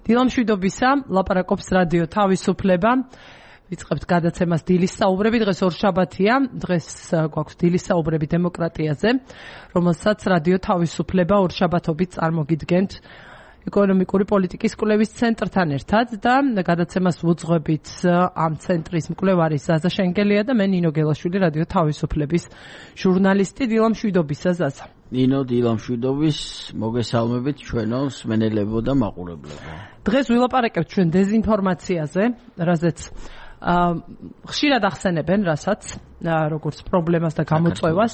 დილამშვიდობისა, ლაპარაკობს რადიო თავისუფლება. ვიწყებთ გადაცემას დილის საუბრები. დღეს ორშაბათია. დღეს გვაქვს დილის საუბრები დემოკრატიაზე, რომელსაც რადიო თავისუფლება ორშაბათობით წარმოგიდგენთ ეკონომიკური პოლიტიკის კვლევის ცენტრთან ერთად და გადაცემას ვუძღვებით ამ ცენტრის მკვლევარი ზაზა შენგელია და მე ნინო გელაშვილი, რადიო თავისუფლების ჟურნალისტი. დილამშვიდობისა ზაზა. ნინო, დილამშვიდობის, მოგესალმებით ჩვენო მსმენელებო და მაყურებლებო. დღეს ვილაპარაკებთ ჩვენ დეზინფორმაციაზე, რაზეც ხშირად ახსენებენ, რასაც როგორც პრობლემას და გამოწვევას.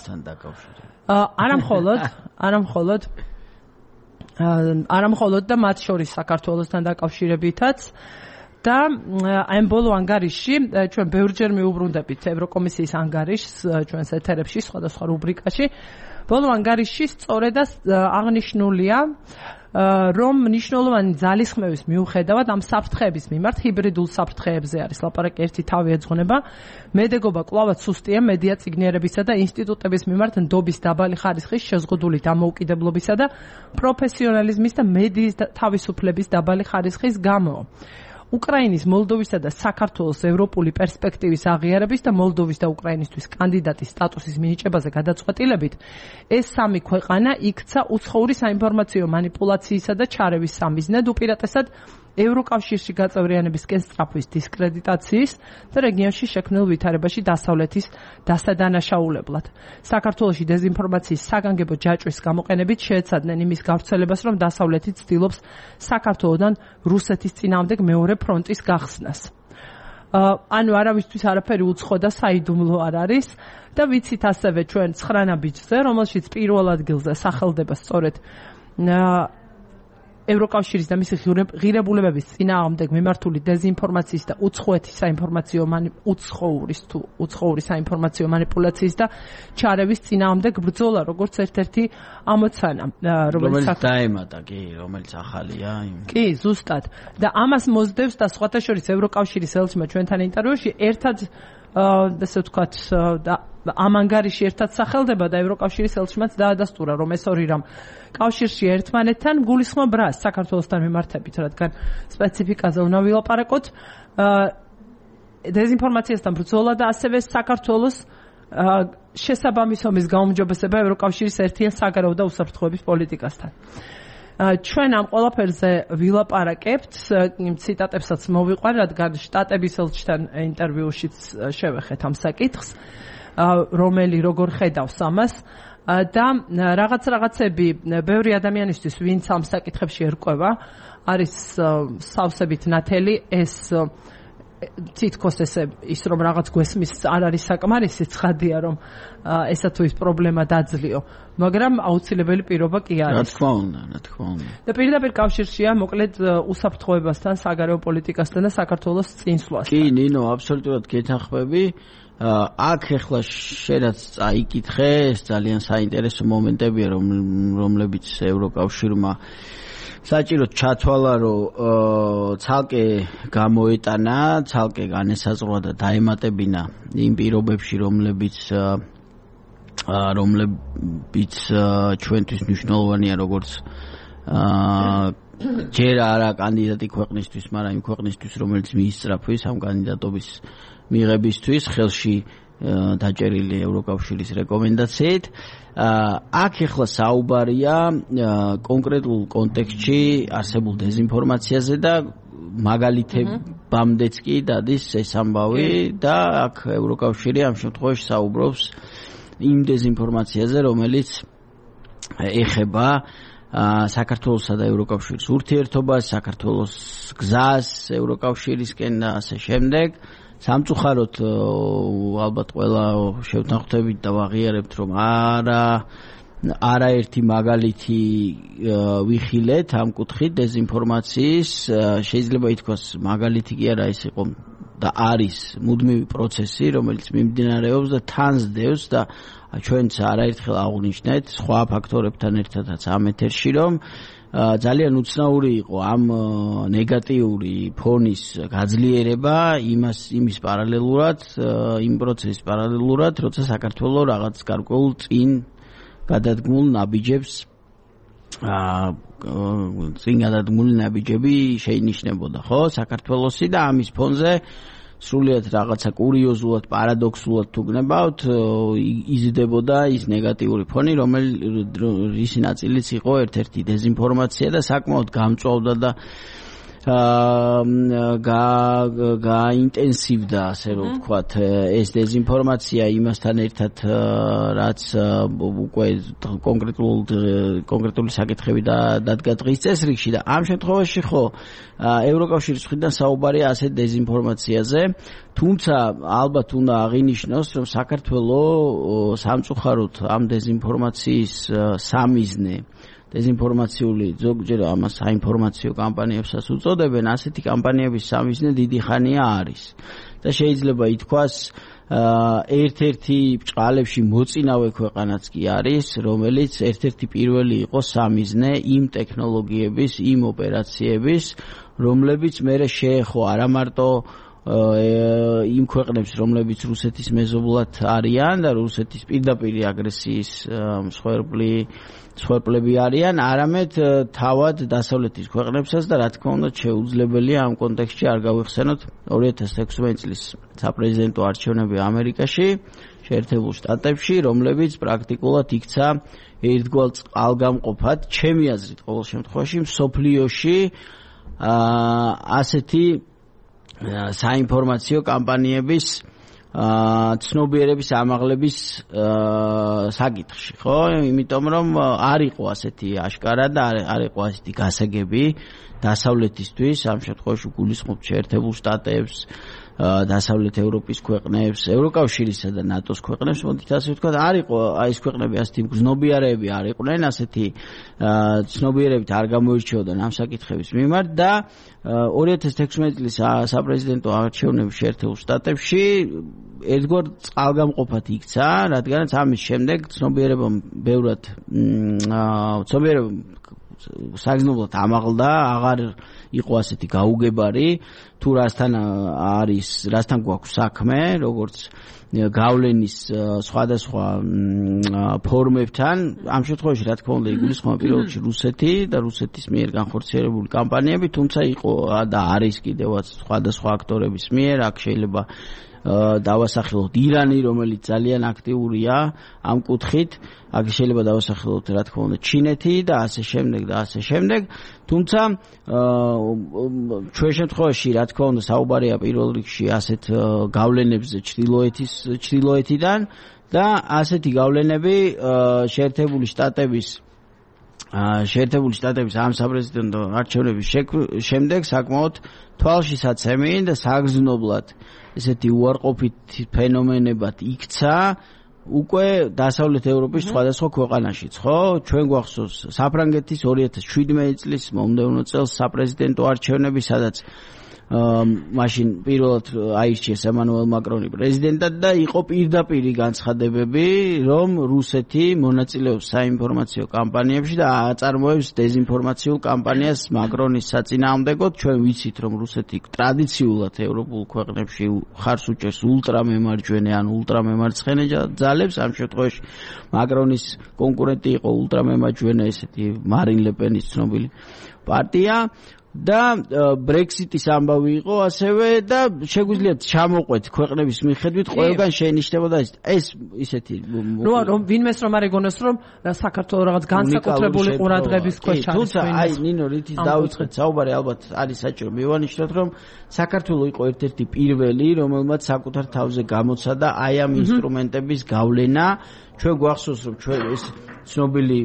არა მხოლოდ და მათ შორის საქართველოსთან დაკავშირებითაც და ამ ბოლო ანგარიშში ჩვენ ბევრჯერ მიუბრუნდებით ევროკომისიის ანგარიშს ჩვენს ეთერებში სხვადასხვა რუბრიკაში. ბოლო ანგარიშში სწორედ აღნიშნულია, რომ მნიშვნელოვანი ძალისხმევის მიუხედავად ამ საფრთხეების მიმართ ჰიბრიდულ საფრთხეებზე არის ლაპარაკი, ერთი თავი ეძღვნება. მედეგობა კვლავაც სუსტია მედია წიგნიერებისა და ინსტიტუტების მიმართ ნდობის დაბალი ხარისხის, შეზღუდული დამოუკიდებლობისა და პროფესიონალიზმის და მედიის თავისუფლების დაბალი ხარისხის გამო. უკრაინის, მოლდოვისა და საქართველოს ევროპული პერსპექტივის აღიარების და მოლდოვის და უკრაინისთვის კანდიდატის სტატუსის მინიჭებაზე გადაწყვეტილებით ეს სამი ქვეყანა იქცა უცხოური საინფორმაციო манипуляციისა და ჩარევის სამიზნედ, უპირატესად ევროკავშირში გაწევრიანებისკენ სწრაფვის დისკრედიტაციის და რეგიონში შექმნილ ვითარებაში დასავლეთის დასადანაშაულებლად. საქართველოში დეზინფორმაციის საგანგებო ჯაჭვის გამოყენებით შეეცადნენ იმის გავრცელებას, რომ დასავლეთი ცდილობს საქართველოდან რუსეთის წინააღმდეგ მეორე ფრონტის გახსნას. ანუ არავისთვის არაფერი უცხო და საიდუმლო არ არის და ვიცით ასევე ჩვენ 9 ბიჭზე, რომელშიც პირველ ადგილზე სახელდება სწორედ ევროკავშირის და მისი ღირებულებების წინააღმდეგ მიმართული დეზინფორმაციის და უცხოეთის უცხოური საინფორმაციო манипуляციის და ჩარევის წინააღმდეგ ბრძოლა, როგორც ერთ-ერთი ამოცანა, რომელიც დაემატა, რომელიც ახალია. კი, ზუსტად. და ამას მოსდევს და სხვათა შორის ევროკავშირის ელჩმა ჩვენთან ინტერვიუში ერთად ასე ვთქვათ ამ ანგარიში ერთად სახელდება და ევროკავშირის ელჩმაც დაადასტურა, რომ ეს ორი რამ კავშირში ერთმანეთთან გულისხმობ რას საქართველოსთან მიმართებით, რადგან სპეციფიკაზე უნდა ვილაპარაკოთ. დეზინფორმაციასთან ბრძოლა და ასევე საქართველოს შესაბამის ომის გაუმჯობესება ევროკავშირის ერთიან საგარეო და უსაფრთხოების პოლიტიკასთან. ჩვენ ამ ყველაფერზე ვილაპარაკებთ, ციტატებსაც მოვიყვან, რადგან შტატების ელჩთან ინტერვიუშიც შევეხეთ ამ საკითხს, რომელი როგორ ხედავს ამას და რაღაცები ბევრი ადამიანისთვის, ვინც ამ საკითხებში ერკვევა, არის სავსებით ნათელი ეს თითქოს ესე ის რომ რაღაც გვესმის არ არის საკმარისი, ცხადია რომ ესა თუ ის პრობლემა დაძლიო, მაგრამ აუცილებელი პირობა კი არის. რა თქმა უნდა. და პირდაპირ კავშირშია მოკლედ უსაფრთხოებასთან, საგარეო პოლიტიკასთან და საქართველოს წინსვლასთან. კი, ნინო, აბსოლუტურად გეთანხმები. აქ ახლა შენაც წაიკითხე, ეს ძალიან საინტერესო მომენტებია, რომლებიც ევროკავშირმა საჭიროდ ჩათვალა, რომ ცალკე გამოეტანა, ცალკე განესაზღვრა და დაემატებინა იმ პირობებში, რომლებიც ჩვენთვის მნიშვნელოვანია, როგორც ჯერ არა კანდიდატი ქვეყნისთვის, მაგრამ იმ ქვეყნისთვის, რომელიც მიისწრაფვის ამ კანდიდატობის მიღებისთვის, ხელში დაჭერილი ევროკავშირის რეკომენდაციით. აქ ახლა საუბარია კონკრეტულ კონტექსტში არსებულ დეზინფორმაციაზე და მაგალითებამდეც კი დადის ეს ამბავი და აქ ევროკავშირი ამ შემთხვევაში საუბრობს იმ დეზინფორმაციაზე, რომელიც ეხება საქართველოსა და ევროკავშირის ურთიერთობას, საქართველოს გზას ევროკავშირისკენ და ასე შემდეგ. სამწუხაროდ ალბათ ყველა შევთანხმდებით და ვაღიარებთ, რომ არაერთი მაგალითი ვიხილეთ ამ კუთხით დეზინფორმაციის. შეიძლება ითქვას მაგალითი კი არა, ეს იყო და არის მუდმივი პროცესი, რომელიც მიმდინარეობს და თან ზდევს და ჩვენც არაერთხელ აღვნიშნეთ სხვა ფაქტორებთან ერთადაც ამ ეთერში, რომ ძალიან უცნაური იყო ამ ნეგატიური ფონის გაძლიერება იმის პარალელურად, იმ პროცესის პარალელურად, როცა საქართველოს რაღაც გარკვეულ წინ გადადგმულ ნაბიჯებს წინ გადადგმული ნაბიჯები შეინიშნებოდა, ხო, საქართველოსი და ამის ფონზე სრულიად რაღაცა კურიოზულად, პარადოქსულად თუ გნებავთ, იზრდებოდა ის ნეგატიური ფონი, რის ნაწილიც იყო ერთ-ერთი დეზინფორმაცია და საკმაოდ გამწვავდა და გაინტენსივდა, ასე რომ ვთქვათ, ეს დეზინფორმაცია იმასთან ერთად, რაც უკვე კონკრეტული საკითხები დადგა დღის წესრიგში და ამ შემთხვევაში ხო ევროკავშირის მხრიდან საუბარია ასეთ დეზინფორმაციაზე, თუმცა ალბათ უნდა აღინიშნოს, რომ საქართველოს სამწუხაროდ ამ დეზინფორმაციის სამიზნე დეზინფორმაციული ზოგჯერ ამას საინფორმაციო კამპანიებსაც უწოდებენ, ასეთი კამპანიების სამიზნე დიდი ხანია არის და შეიძლება ითქვას ერთ-ერთი ბრჭყალებში მოწინავე ქვეყანაც კი არის, რომელიც ერთ-ერთი პირველი იყო სამიზნე იმ ტექნოლოგიების, იმ ოპერაციების, რომლებიც მერე შეეხო არა მარტო იმ ქვეყნებს, რომლებიც რუსეთის მეზობლად არიან და რუსეთის პირდაპირ აგრესიის მსხვერპლები არიან, არამედ თავად დასავლეთის ქვეყნებსაც და რა თქმა უნდა შეუძლებელია ამ კონტექსტში არ გავიხსენოთ 2016 წლის საპრეზიდენტო არჩევნები ამერიკაში, შეერთებულ შტატებში, რომლებიც პრაქტიკულად იქცა ერთგვარ წყალგამყოფად, ჩემი აზრით ყოველ შემთხვევაში მსოფლიოში ასეთი საინფორმაციო კამპანიების ცნობიერების ამაღლების საკითხში, ხო? იმიტომ რომ არ იყო ასეთი აშკარა და არ იყო ასეთი გასაგები დასავლეთისთვის, ამ შემთხვევაში გულისხმობთ შეერთებულ შტატებს, დასავლეთ ევროპის ქვეყნებს, ევროკავშირისა და ნატოს ქვეყნებს, მოდით ასე ვთქვათ, არ იყო ეს ქვეყნები ასეთი მგრძნობიარეები არ იყვნენ, ასეთი ცნობიერებით არ გამოირჩეოდნენ ამ საკითხების მიმართ და 2016 წლის საპრეზიდენტო არჩევნების შეერთებულ შტატებში ერთგვარ წყალგამყოფად იქცა, რადგანაც ამის შემდეგ ცნობიერებამ ბევრად საგრძნობლად ამაღლდა, აღარ იყო ასეთი გაუგებარი თუ რასთან გვაქვს საქმე, როგორც გავლენის სხვადასხვა ფორმებთან. ამ შემთხვევაში რა თქმა უნდა იგულისხმება პირველ რიგში რუსეთი და რუსეთის მიერ განხორციელებული კამპანიები, თუმცა იყო და არის კიდევაც სხვადასხვა აქტორების მიერ, აქ შეიძლება დავასახელოთ ირანი, რომელიც ძალიან აქტიურია ამ კუთხით, აქ შეიძლება დავასახელოთ რა თქმა უნდა ჩინეთი და ასე შემდეგ, თუმცა ჩვენ შემთხვევაში რა თქმა უნდა საუბარია პირველ რიგში ასეთ გავლენებზე ჩრდილოეთიდან და ასეთი გავლენები შეერთებული შტატების ამ საპრეზიდენტო არჩევნების შემდეგ საკმაოდ თვალშისაცემი და საგრძნობლად ესეთი უარყოფით ფენომენებად იქცა უკვე დასავლეთ ევროპის სხვადასხვა ქვეყანაშიც, ხო? ჩვენ გვახსოვს საფრანგეთის 2017 წლის მომდევნო წელს საპრეზიდენტო არჩევნები, სადაც მაშინ პირველად აირჩიეს ემანუელ მაკრონი პრეზიდენტად და იყო პირდაპირი განცხადებები, რომ რუსეთი მონაწილეობს საინფორმაციო კამპანიებში და აწარმოებს დეზინფორმაციულ კამპანიას მაკრონის საწინააღმდეგოდ. ჩვენ ვიცით, რომ რუსეთი ტრადიციულად ევროპულ ქვეყნებში ხარს უჭერს ულტრამემარჯვენე ან ულტრამემარცხენე ძალებს. ამ შემთხვევაში მაკრონის კონკურენტი იყო ულტრამემარჯვენე ესეთი მარინ ლე-პენის ცნობილი პარტია. და ბრექსიტის ამბავი იყო ასევე და შეგვიძლია ჩამოყვეთ ქვეყნების მიხედვით ყველგან შეინიშნებოდა ეს ისეთი რომ ვინმეს რომ არ ეგონოს რომ საქართველოს რაღაც განსაკუთრებული ყურადღების ქვეშ არის. თუმცა აი ნინო რითიც დავიწყეთ საუბარი, ალბათ არის საჭირო მივანიშნოთ, რომ საქართველოს იყო ერთ-ერთი პირველი, რომელმაც საკუთარ თავზე გამოცადა აი ამ ინსტრუმენტების გავლენა. ჩვენ გვახსოვს, რომ ჩვენ ეს ცნობილი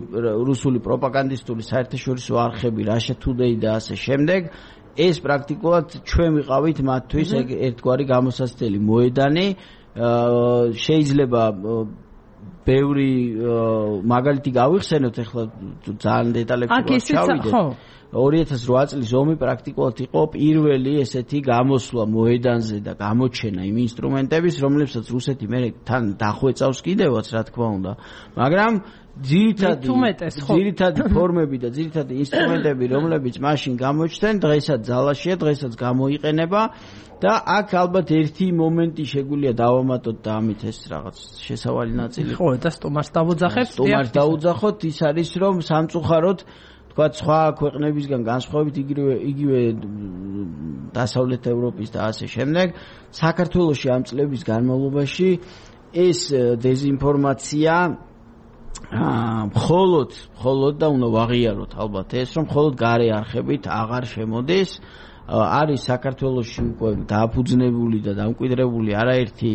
რუსული პროპაგანდისტული საერთაშორისო არხები Russia Today და ასე შემდეგ, ეს პრაქტიკულად ჩვენ ვიყავით მათთვის ერთგვარი გამოსაცდელი მოედანი. შეიძლება ბევრი მაგალითი გავიხსენოთ, ახლა ძალიან დეტალებში ჩავიდეთ. 2008 წლის ომი პრაქტიკულად იყო პირველი ესეთი გამოსვლა მოედანზე და გამოჩენა იმ ინსტრუმენტების, რომლებსაც ρუსეთი მე თან დახვეწავს კიდევაც, რა თქმა უნდა, მაგრამ ძირითადი ფორმები და ძირითადი ინსტრუმენტები, რომლებიც მაშინ გამოჩნდნენ, დღესაც ძალაშია, დღესაც გამოიყენება და აქ ალბათ ერთი მომენტი შეგვიძლია დავამატოთ და ამით ეს რაღაც შესავალი ნაწილი. ხო, და სტომარს დავუძახებთ. სტომარს დაუძახოთ, ის არის რომ სამწუხაროდ თქვა სხვა ქვეყნებისგან განსხვავებით იგივე დასავლეთ ევროპის და ასე შემდეგ საქართველოში ამ წლების განმავლობაში ეს დეზინფორმაცია მხოლოდ და უნდა ვაღიაროთ ალბათ ეს რომ მხოლოდ გარე არხებით აღარ შემოდის არის საქართველოში უკვე დააფუძნებული და დამკვიდრებული არაერთი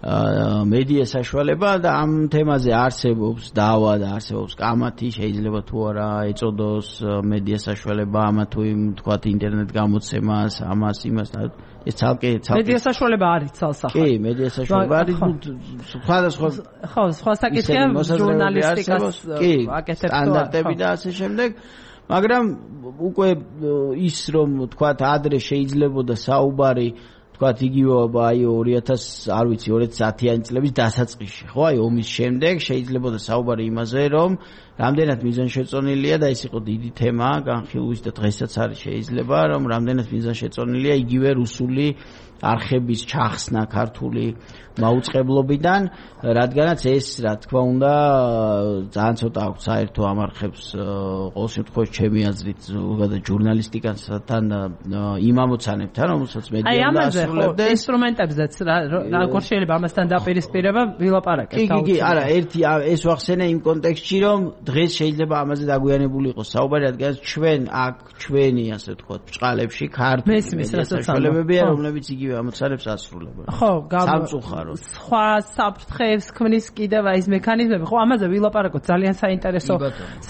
მედია საშუალება და ამ თემაზე არსებობს დავა და არსებობს კამათი შეიძლება თუ არა ეწოდოს მედია საშუალება ამა თუ იმ თქვათ ინტერნეტ გამოცემას ამას იმას ეს ცალკე მედია საშუალება არის ცალსახად კი მედია საშუალება არის სხვადასხვა ხო სხვა საკითხია ჟურნალისტიკას აკეთებს სტანდარტები და ასე შემდეგ მაგრამ უკვე ის რომ თქვათ ადრე შეიძლებოდა საუბარი თქვათ იგივე აი 2000 არ ვიცი 2010-იანი წლების დასაწყისში ხო აი ომის შემდეგ შეიძლებოდა საუბარი იმაზე რომ რამდენად მიზანშეწონილია და ეს იყო დიდი თემა განხილვის და დღესაც არის შეიძლება რომ რამდენად მიზანშეწონილია იგივე რუსული არხების ჩახსნა ქართული მაუწყებლობიდან რადგანაც ეს რა თქმა უნდა ძალიან ცოტა აქვს საერთო ამ არხებს ყოველ შემთხვევაში ჩემი აზრით ზოგადად ჟურნალისტიკასთან იმ ამოცანებთან რომელსაც მედია უნდა ასრულებდეს ინსტრუმენტებზეც როგორ შეიძლება ამასთან დაპირისპირება ვილაპარაკეთ კი არა ერთი ეს ვახსენე იმ კონტექსტში რომ დღეს შეიძლება ამაზე დაგვიანებული იყოს საუბარი რადგანაც ჩვენ აქ ჩვენი ასე ვთქვათ ბჭყალებში ქართული მედია საშუალებებია რომლებიც იგივე ამოცანებს ასრულებენ ხო სამწუხაროდ სხვა საფრთხეებს ქმნის კიდევ ის მექანიზმები ხო ამაზე ვილაპარაკოთ ძალიან საინტერესო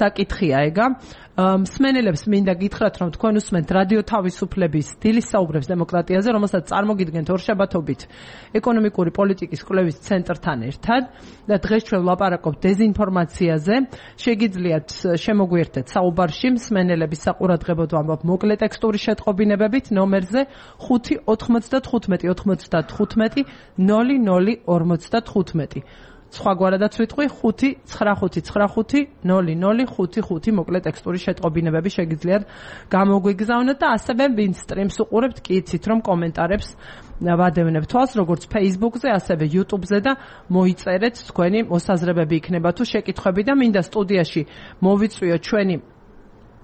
საკითხია ეგა მსმენელებს მინდა გითხრათ რომ თქვენ უსმენთ რადიო თავისუფლების დილის საუბრებს დემოკრატიაზე რომელსაც წარმოგიდგენთ ორშაბათობით ეკონომიკური პოლიტიკის კვლევის ცენტრთან ერთად და დღეს ჩვენ ვლაპარაკობთ დეზინფორმაციაზე შეგიძლიათ შემოგვიერთდეთ საუბარში მსმენელების საყურადღებოდ ვამბობ მოკლე ტექსტური შეტყობინებებით ნომერზე 595 95 0055 სხვაგვარადაც ვიტყვი 595900555 მოკლე ტექსტური შეტყობინებები შეგიძლიათ გამოგვიგზავნოთ და ასევე ვინც სტრიმს უყურებთ კი იცით რომ კომენტარებს ვადევნებ თვალს როგორც Facebook-ზე ასევე YouTube-ზე და მოიწერეთ თქვენი მოსაზრებები იქნება თუ შეკითხვები და მინდა სტუდიაში მოვიწვიოთ ჩვენი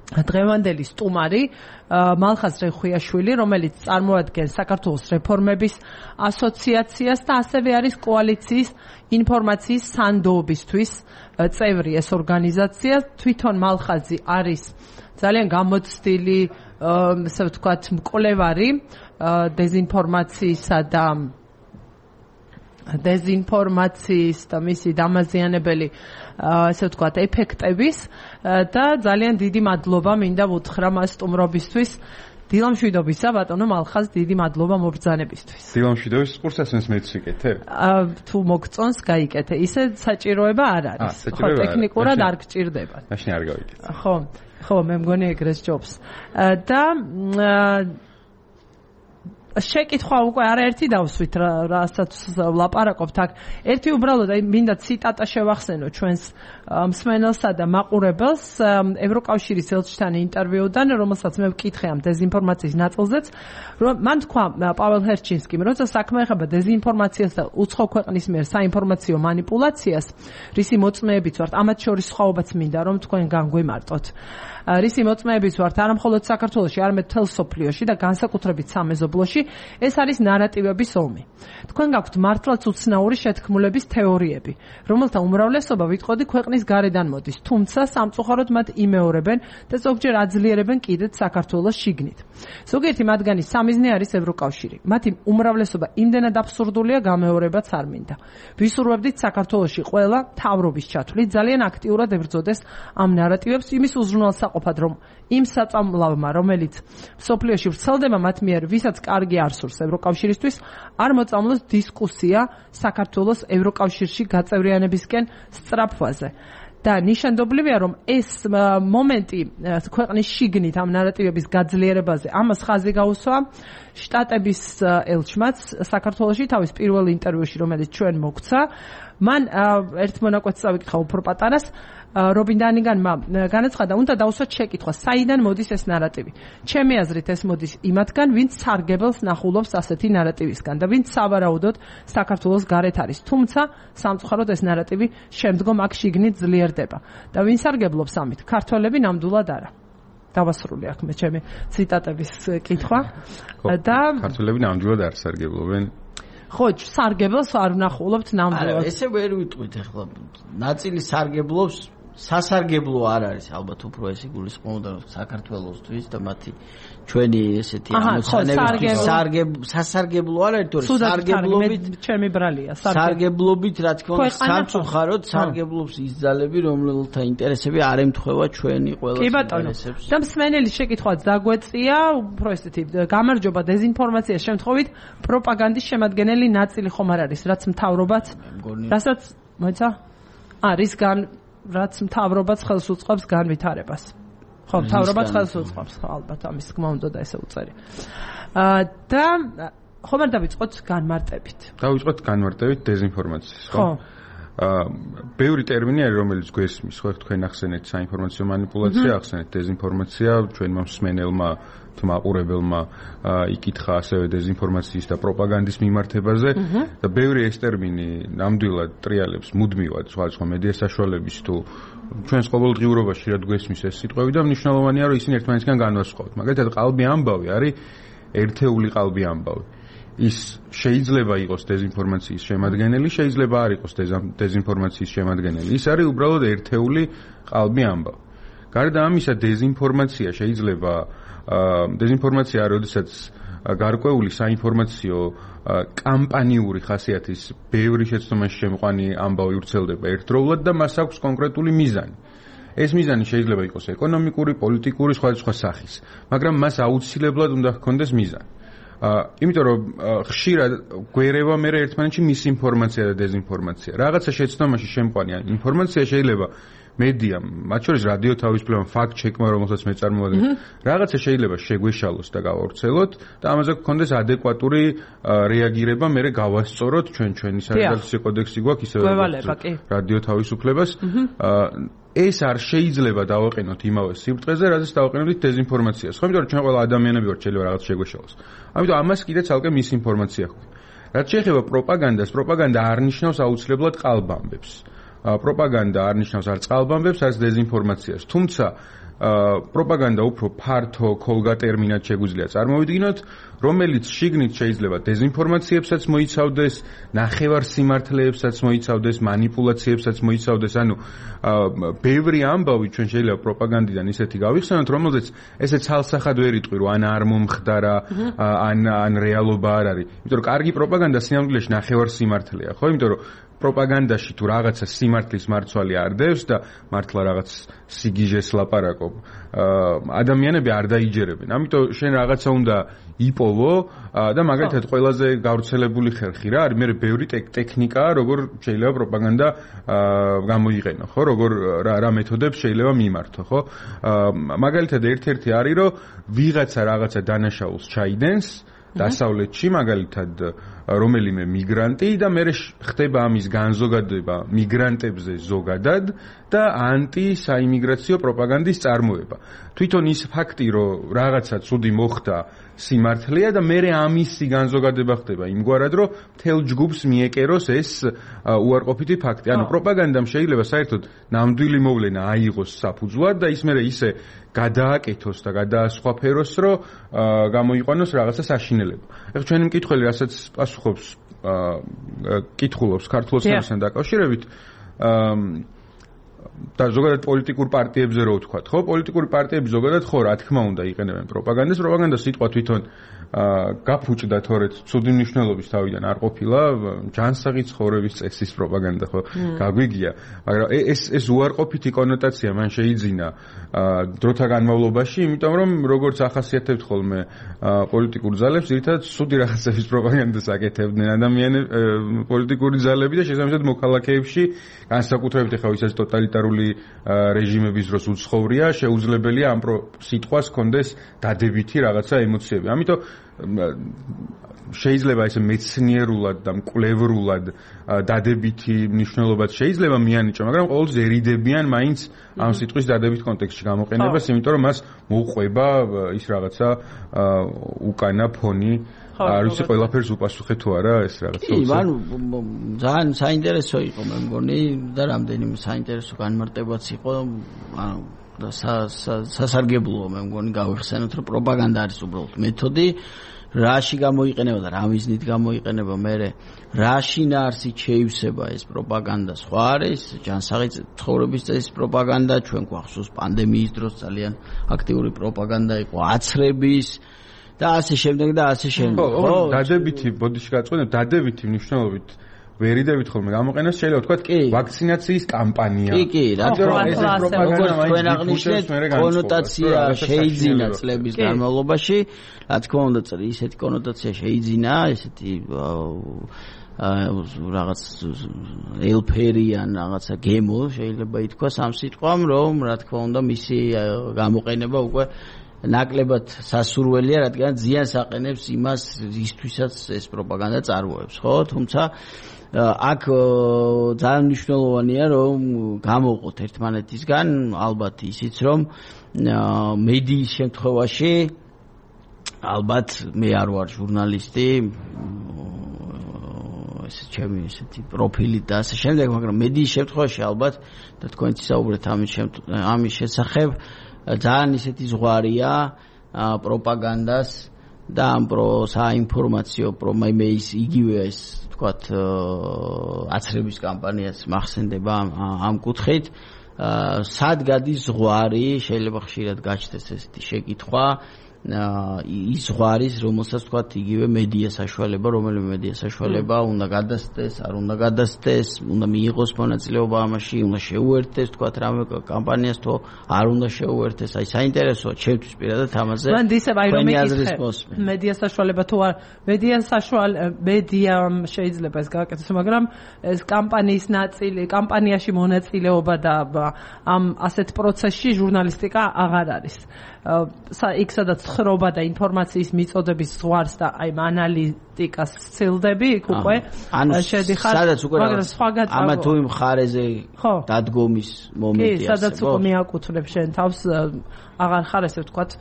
დღევანდელი სტუმარი მალხაზ რეხვიაშვილი, რომელიც წარმოადგენს საქართველოს რეფორმების ასოციაციას და ასევე არის კოალიციის ინფორმაციის სანდოობისთვის წევრი ეს ორგანიზაცია. თვითონ მალხაზი არის ძალიან გამოცდილი, ასე ვთქვათ, მკვლევარი დეზინფორმაციისა და მისი დამაზიანებელი ასე ვთქვათ ეფექტების და ძალიან დიდი მადლობა მინდა ვუთხრა მას სტუმრობისთვის. დილამშვიდობისა ბატონო მალხაზ, დიდი მადლობა მობრძანებისთვის. დილამშვიდობის ყურს ასმენს მეც ვიკეთე? თუ მოგწონს გაიკეთე. ისე საჭიროება არ არის. ხო, ტექნიკურად არ გჭირდება. მაშინ არ გავიკეთე. ხო, მე მგონი ეგრეს ჯობს. და შეკითხვა უკვე არაერთი დავსვით რასაც ვლაპარაკობთ აქ. ერთი უბრალოდ მინდა ციტატა შევახსენო ჩვენს მსმენელსა და მაყურებელს ევროკავშირის ელჩთან ინტერვიუდან, რომელსაც მე ვკითხე ამ დეზინფორმაციის ნაწილზეც, რომ მან თქვა პაվել ჰერჩინსკიმ, როცა საქმე ეხება დეზინფორმაციას და უცხო ქვეყნის მიერ საინფორმაციო манипуляციას, რისი მოწმეებიც ვართ, ამათ შორის სხვაობაც მინდა რომ თქვენ განგვიმარტოთ. რისი მოწმეებიც ვართ არა მხოლოდ საქართველოში, არამედ მთელ სოფლიოში და განსაკუთრებით სამეზობლოში, ეს არის ნარატივების ომი. თქვენ გაქვთ მართლაც უცნაური შეთქმულების თეორიები, რომელთა უმრავლესობა ვიტყოდი ქვეყნის გარედან მოდის, თუმცა სამწუხაროდ მათ იმეორებენ და ზოგჯერ აძლიერებენ კიდეც საქართველოს შიგნით. ზოგიერთი მათგანი სამიზნე არის ევროკავშირი. მათი უმრავლესობა იმდენად აბსურდულია, გამეორებაც არ მინდა. ვისურვებდით საქართველოში ყველა თავრობის ჩათვლით ძალიან აქტიურად ებრძოდეს ამ ნარატივებს იმის უზრუნველსაყოფად, რომ იმ საწამლავმა, რომელიც სოფლიოში ვრცელდება მათ მიერ, ვისაც კარგი არ სურს ევროკავშირისთვის, არ მოწამლოს დისკუსია საქართველოს ევროკავშირში გაწევრიანებისკენ სწრაფვაზე. და ნიშანდობლივია, რომ ეს მომენტი ქვეყნის შიგნით ამ ნარატივების გაძლიერებაზე ამას ხაზი გაუსვა შტატების ელჩმაც საქართველოში თავის პირველ ინტერვიუში, რომელიც ჩვენ მოგცა, მან ერთ მონაკვეთს წავიკითხა უფრო პატარას რობინ დანიგანმა განაცხადა, უნდა დავუსვათ შეკითხვა, საიდან მოდის ეს ნარატივი. ჩემი აზრით ეს მოდის იმათგან, ვინც სარგებელს ნახულობს ასეთი ნარატივისგან და ვინც სავარაუდოდ საქართველოს გარეთ არის. თუმცა სამწუხაროდ ეს ნარატივი შემდგომ აქ შიგნით ძლიერდება. და ვინ სარგებლობს ამით? ქართველები ნამდვილად არა. დავასრულე აქ მე ჩემი ციტატების კითხვა და ქართველები ნამდვილად არ სარგებლობენ. ხო, სარგებელს არ ვნახულობთ ნამდვილად. არა, ესე ვერ ვიტყვით ახლა. ნაწილი სარგებლობს, სასარგებლო არ არის, ალბათ უფრო ეს იგულისხმობდა საქართველოსთვის და მათი ჩვენი ესეთი ამოცანები სასარგებლო არ არის, თორე სარგებლობით ჩემი ბრალია, სარგებლობით რა თქმა უნდა სამწუხაროდ სარგებლობს ის ძალები, რომელთა ინტერესები არ ემთხვევა ჩვენი ყველა ინტერესებს. და მსმენელის შეკითხვაც დაგვეწია, უფრო ესეთი გამარჯობა დეზინფორმაციის შემთხვევით პროპაგანდის შემადგენელი ნაწილი ხომ არ არის, რაც მთავრობაც, რასაც მოიცა? რისგან რაც მთავრობაც ხელს უწყობს განვითარებას. ხო, მთავრობაც ხელს უწყობს, ალბათ ამის თქმა უნდა და ესე უწერი. და ხომ არ დავიწყოთ განმარტებით. დავიწყოთ განმარტებით დეზინფორმაციის, ხო? ბევრი ტერმინი არის, რომელიც გვესმის, ხო, თქვენ ახსენეთ საინფორმაციო მანიპულაცია, ახსენეთ დეზინფორმაცია, ჩვენმა მსმენელმა მაყურებელმა იკითხა ასევე დეზინფორმაციის და პროპაგანდის მიმართებაზე და ბევრი ეს ტერმინი ნამდვილად ტრიალებს მუდმივად სხვადასხვა მედია საშუალების თუ ჩვენს ყოველდღიურობაში რა გვესმის ეს სიტყვები და მნიშვნელოვანია რომ ისინი ერთმანეთისგან განვასხვაოთ. მაგალითად ყალბი ამბავი არის ერთეული ყალბი ამბავი. ის შეიძლება იყოს დეზინფორმაციის შემადგენელი, შეიძლება არ იყოს დეზინფორმაციის შემადგენელი. ის არის უბრალოდ ერთეული ყალბი ამბავი. გარდა ამისა დეზინფორმაცია შეიძლება დეზინფორმაცია როდესაც გარკვეული საინფორმაციო კამპანიური ხასიათის ბევრი შეცდომაში შემყვანი ამბავი ვრცელდება ერთდროულად და მას აქვს კონკრეტული მიზანი. ეს მიზანი შეიძლება იყოს ეკონომიკური, პოლიტიკური, სხვადასხვა სახის, მაგრამ მას აუცილებლად უნდა ჰქონდეს მიზანი. იმიტომ რომ ხშირად გვერევა მე ერთმანეთში მისინფორმაცია და დეზინფორმაცია. რაღაცა შეცდომაში შემყვანი ინფორმაცია შეიძლება მედიამ, მათ შორის რადიო თავისუფლებამ, ფაქტ-ჩეკმა, რომელსაც მე წარმოვადგენ, რაღაცა შეიძლება შეგვეშალოს და გავავრცელოთ და ამაზე გქონდეს ადეკვატური რეაგირება, მე გავასწოროთ ჩვენი სადედაქციო კოდექსი გვაქვს ისევ რადიო თავისუფლებას. ეს არ შეიძლება დავაყენოთ იმავე სიბრტყეზე, რადგან დავაყენოთ დეზინფორმაციას. ხო, იმიტომ რომ ჩვენ ყველა ადამიანები ვართ, შეიძლება რაღაც შეგვეშალოს. ამიტომ ამას კიდე ცალკე მისინფორმაცია ხდება. რაც შეეხება პროპაგანდას, პროპაგანდა არ ნიშნავს აუცილებლად ყალბამბებს. პროპაგანდა არ ნიშნავს არ წყალბამბებს, არც დეზინფორმაციას. თუმცა პროპაგანდა უფრო ფართო ქოლგა ტერმინად შეგვიძლია წარმოვიდგინოთ, რომელიც შიგნით შეიძლება დეზინფორმაციებსაც მოიცავდეს, ნახევარ სიმართლეებსაც მოიცავდეს, მანიპულაციებსაც მოიცავდეს, ანუ ბევრი ამბავი ჩვენ შეიძლება პროპაგანდიდან ისეთი გავიხსენოთ, რომელზეც ესე ცალსახად ვერ იტყვი, რომ ან არ მომხდარა, ან რეალობა არ არის. იმიტომ რომ კარგი პროპაგანდა სინამდვილეში ნახევარ სიმართლეა, ხო? იმიტომ რომ პროპაგანდაში თუ რაღაცა სიმართლის მარცვალი არ დევს და მართლა რაღაც სიგიჟეს ლაპარაკობ, ადამიანები არ დაიჯერებენ. ამიტომ შენ რაღაცა უნდა იპოვო და მაგალითად ყველაზე გავრცელებული ხერხი რა არის, მე ბევრი ტექნიკაა, როგორ შეიძლება პროპაგანდა გამოიყენო, ხო? როგორ რა მეთოდებს შეიძლება მიმართო, ხო? მაგალითად ერთ-ერთი არის, რომ ვიღაცა რაღაცა დანაშაულს ჩაიდენს დასავლეთში, მაგალითად რომელიმე მიგრანტი და მე ხდება ამის განზოგადება მიგრანტებზე ზოგადად და ანტი-საიმიგრაციო პროპაგანდის წარმოება. თვითონ ის ფაქტი, რომ რაღაცა ცუდი მოხდა სიმართლეა და მე ამისი განზოგადება ხდება იმგვარად, რომ მთელ ჯგუფს მიეკეროს ეს უარყოფითი ფაქტი. ანუ პროპაგანდამ შეიძლება საერთოდ ნამდვილი მოვლენა აიღოს საფუძვლად და ის მე ისე გადააკეთოს და გადაასხვაფეროს, რომ გამოიყვანოს რაღაცა საშინელება. ეხლა ჩვენი მკითხველი, რასაც პასუხობს კითხულობს ქართულ ოცნებასთან დაკავშირებით, და ზოგადად პოლიტიკურ პარტიებზე რო ვთქვათ, ხო? პოლიტიკური პარტიები ზოგადად ხო, რა თქმა უნდა, იყენებენ პროპაგანდას. პროპაგანდა სიტყვა თვითონ გაფუჭდა თორეც ცუდი მნიშვნელობის თავიდან არ ყოფილა, ჯანსაღი ცხოვრების წესის პროპაგანდა, ხო? გაგვიგია, მაგრამ ეს უარყოფითი კონოტაცია მან შეიძინა დროთა განმავლობაში, იმიტომ რომ როგორც ახასიათებთ ხოლმე პოლიტიკურ ძალებს, ძირითადად ცუდი რაღაცების პროპაგანდას აკეთებდნენ ადამიანები, პოლიტიკური ძალები და შესაბამისად მოქალაქეებში, განსაკუთრებით ახლა ვისაც ტოტალიტარული რეჟიმების დროს უცხოვრია, შეუძლებელია ამ სიტყვას კონდეს დადებითი რაღაცა ემოციები. ამიტომ შეიძლება ესე მეცნიერულად და მკვლევრულად დადებითი მნიშვნელობაც შეიძლება მიანიჭო, მაგრამ ყოველთვის ერიდებიან მაინც ამ სიტყვის დადებით კონტექსტში გამოყენებას, იმიტომ რომ მას მოუყვება ის რაღაცა უკანა ფონი არ ვიცი ყველაფერს უპასუხე თუ არა ეს რაღაც კი, ძალიან საინტერესო იყო მე მგონი და რამდენიმე საინტერესო განმარტებაც იყო და სასარგებლოა მე მგონი გავიხსენოთ რომ პროპაგანდა არის უბრალოდ მეთოდი რაში გამოიყენება და რა მიზნით გამოიყენება მე რა შინაარსით შეივსება ეს პროპაგანდა სხვა არის ჯანსაღი ცხოვრების წესის პროპაგანდა ჩვენ გვახსოვს პანდემიის დროს ძალიან აქტიური პროპაგანდა იყო აცრების და ასე შემდეგ და ასე შემდეგ ხო დადებითი ბოდიში გაწყვეტეთ დადებითი მნიშვნელობით ვერიდებით ხოლმე გამოყენოს შეიძლება ვთქვათ ვაქცინაციის კამპანია კი რადგან ეს პროპაგანდა მაინც აღნიშნეთ კონოტაცია შეიძინა წლების განმავლობაში რა თქმა უნდა ისეთი კონოტაცია შეიძინა ესეთი რაღაც ელფერიან რაღაცა გემო შეიძლება ითქვას ამ სიტყვამ რომ რა თქმა უნდა მისი გამოყენება უკვე ნაკლებად სასურველია რადგან ზიანს აყენებს იმას ისთვისაც ეს პროპაგანდა წარმოებს ხო თუმცა აქ ძალიან მნიშვნელოვანია რომ გამოვყოთ ერთმანეთისგან ალბათ ისიც რომ მედიის შემთხვევაში ალბათ მე არ ვარ ჟურნალისტი ეს ჩემი ესეთი პროფილი და ასე შემდეგ მაგრამ მედიის შემთხვევაში ალბათ და თქვენ ისაუბრეთ ამის შესახებ ძალიან ისეთი ზღვარია პროპაგანდას და ამ საინფორმაციო პრომეიმეის იგივე ეს თქვათ აცრების კამპანიაც მახსენდება ამ კუთხით სად გადის ზღვარი შეიძლება ხშირად გაჩნდეს ესეთი შეკითხვა ის ზღვარის რომელსაც თქვათ იგივე მედია საშუალება რომელიმე მედია საშუალება უნდა გადასცეს არ უნდა გადასცეს უნდა მიიღოს მონაწილეობა ამაში უნდა შეუერთდეს თქვათ რამე კამპანიას თუ არ უნდა შეუერთდეს აი საინტერესოა ჩემთვის პირადად ამაზე მან ისევ აი რომ მედია საშუალება თუ არ მედიამ შეიძლება ეს გააკეთოს მაგრამ ეს კამპანიის ნაწილი კამპანიაში მონაწილეობა და ამ ასეთ პროცესში ჟურნალისტიკა აღარ არის იქ სადაც ხრობა და ინფორმაციის მიწოდების ზღვარს და აი ანალიტიკას ცილდები იქ უკვე შედიხარ სადაც უკვე ამა თუ იმ ხარეზე დადგომის მომენტია კი სადაც უკვე მიაკუთვნებ შენ თავს აღარ ხარ ესე ვთქვათ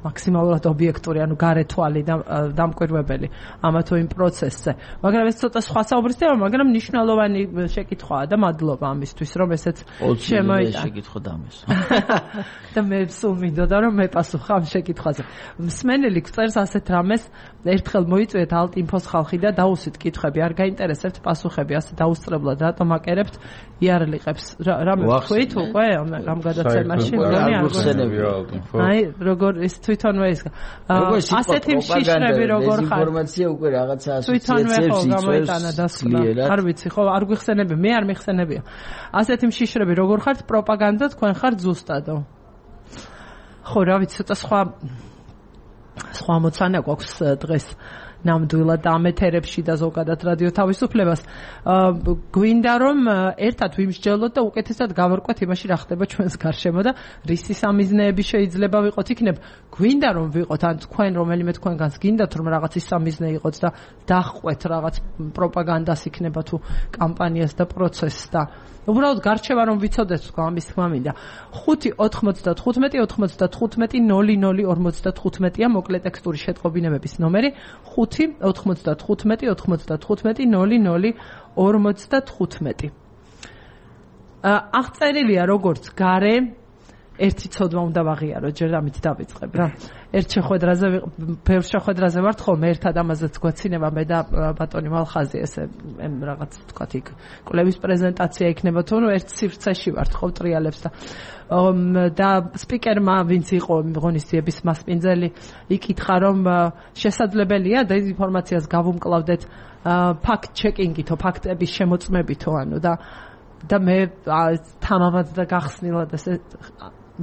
მაქსიმალურად ობიექტური, ანუ გარეთვალი და დამკვირვებელი ამა თუ იმ პროცესზე. მაგრამ ეს ცოტა სხვა საუბრის თემა, მაგრამ მნიშვნელოვანი შეკითხვაა და მადლობა ამისთვის, რომ ესეც შემოიტანა. შეკითხვა დამეს. და მე სულ მინდოდა რომ მეპასუხა ამ შეკითხვაზე. მსმენელი გწერს ასეთ რამეს, ერთხელ მოიწვიეთ ალტ-ინფოს ხალხი და დაუსვით კითხვები, არ გაინტერესებთ პასუხები, ასე დაუსწრებლად რატომ აკერებთ იარლიყებს. რამე თქვით უკვე ამ გადაცემაში, მგონი არ აი, როგორ ის თვითონვე ის ასეთი მშიშრები როგორ ხარ ინფორმაცია უკვე რაღაცა ასოციაციებს გამოიტანა დასკვნა არ ვიცი ხო არ გვიხსენები მე არ მიხსენებია ასეთი მშიშრები როგორ ხართ პროპაგანდა თქვენ ხართ ზუსტადო ხო რა ვიცი ცოტა სხვა მოცანა გვაქვს დღეს ნამდვილად ამ ეთერებში და ზოგადად რადიო თავისუფლებას გვინდა რომ ერთად ვიმსჯელოთ და უკეთესად გავარკვეთ იმაში რა ხდება ჩვენს გარშემო და რისი სამიზნეები შეიძლება ვიყოთ იქნებ გვინდა რომ ვიყოთ ან თქვენ რომელიმე თქვენგანს გინდათ რომ რაღაცის სამიზნე იყოთ და დაჰყვეთ რაღაც პროპაგანდას იქნება თუ კამპანიას და პროცესს და უბრალოდ გარჩევა რომ ვიცოდეთ თქვა ამის თქმა მინდა 5-95-95-00-55-00-55-00-55-55-55-55-55-55-55-55-55-55-55-55-55-55-55-55-55-55-55-55-55 მოკლე ტექსტური შეტყობინებების ნომერი 5-95-95-95-00-55 აღწერილია როგორც გარე ერთი ცოდვა უნდა ვაღიარო ჯერ ამით დავიწყებ რა ერთ შეხვედრაზე ბევრ შეხვედრაზე ვართ ხოლმე ერთად ამაზეც გვეცინება მე და ბატონი მალხაზი ესე რაღაც თქვათ იქ კვლევის პრეზენტაცია იქნება თუ ნუ ერთ სივრცეში ვართ ხო ტრიალებს და სპიკერმა ვინც იყო ღონისძიების მასპინძელი იკითხა რომ შესაძლებელია დეзинფორმაციას გავუმკლავდეთ ფაქტ ჩეკინგითო ფაქტების შემოწმებითო ანუ და მე თამამად და გახსნილად ესე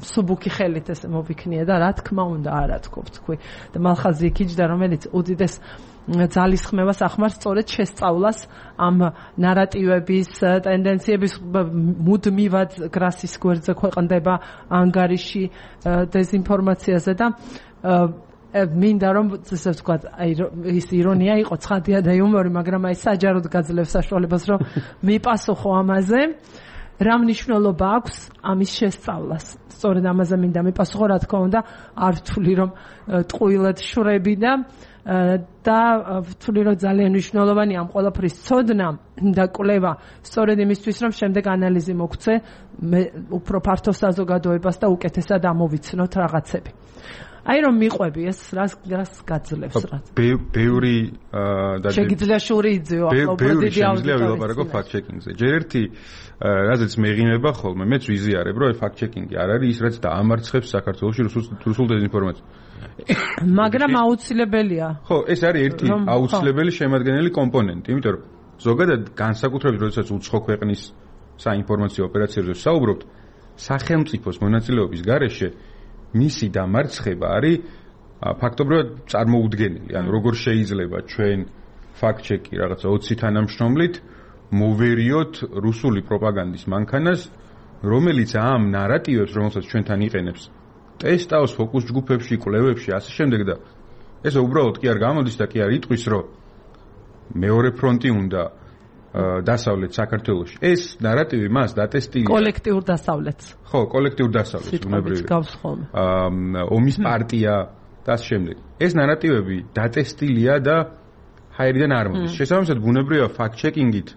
სუბუქი ხელით ესე მოვიქნია და რა თქმა უნდა არა თქვი და მალხაზი იქიჯდა რომელიც უდიდეს ძალისხმევას ახმარს სწორედ შესწავლას ამ ნარატივების ტენდენციების მუდმივად გრასის გვერდზე ქვეყნდება ანგარიში დეзинფორმაციაზე და მინდა რომ ესე ვთქვათ, აი ის ირონია იყო, ცხადია და იუმორი, მაგრამ აი საჯაროდ გაძლევს საშუალებას, რომ მიპასუხო ამაზე. რა მნიშვნელობა აქვს ამის შესწავლას? სწორედ ამაზე მინდა მიპასუხო, რა თქმა უნდა, არ ვთვლი რომ ტყუილად შვრები და ვთვლი რომ ძალიან მნიშვნელოვანია ამ ყველაფრის ცოდნა და კვლევა, სწორედ იმისთვის რომ შემდეგ ანალიზი მოგვცე უფრო ფართო საზოგადოებას და უკეთესად ამოვიცნოთ რაღაცები. აი რომ მიყვები ეს რას გაძლევს რა. ბევრი და შეგიძლია შური იძიო ახლა უფრო დიდი აუდიტორია ვილაპარაკო fact checking-ზე. ჯერ ერთი რაზეც მეღიმება ხოლმე, მეც ვიზიარებ, რომ fact checking-ი არ არის ის რაც დაამარცხებს საქართველოში რუსულ დეзинფორმაციას. მაგრამ აუცილებელია. ხო, ეს არის ერთი აუცილებელი შემადგენელი კომპონენტი, იმიტომ რომ ზოგადად განსაკუთრებით როდესაც უცხო ქვეყნის საინფორმაციო ოპერაციებზე ვსაუბრობთ, სახელმწიფოს მონაწილეობის გარეშე მისი დამარცხება არის ფაქტობრივად წარმოუდგენელი. ანუ როგორ შეიძლება ჩვენ fact-check-ი რაღაცა 20 თანამშრომლით მოვერიოთ რუსული პროპაგანდის მანქანას, რომელიც ამ ნარატივებს, რომელსაც ჩვენთან იყენებს, ტესტავს ფოკუს ჯგუფებში, კვლევებში, ასე შემდეგ და ეს უბრალოდ კი არ გამოდის და კი არ იტყვის, რომ მეორე ფრონტი უნდა დასავლეთ საქართველოში. ეს ნარატივი მას დატესტილია კოლექტიურ დასავლეთს. ხო, კოლექტიურ დასავლეთს უნებრივია. ომის პარტია და ამ შემდეგ. ეს ნარატივები დატესტილია და ჰაერიდან არ მოდის. შესაბამისად, ბუნებრივია fact-checking-ით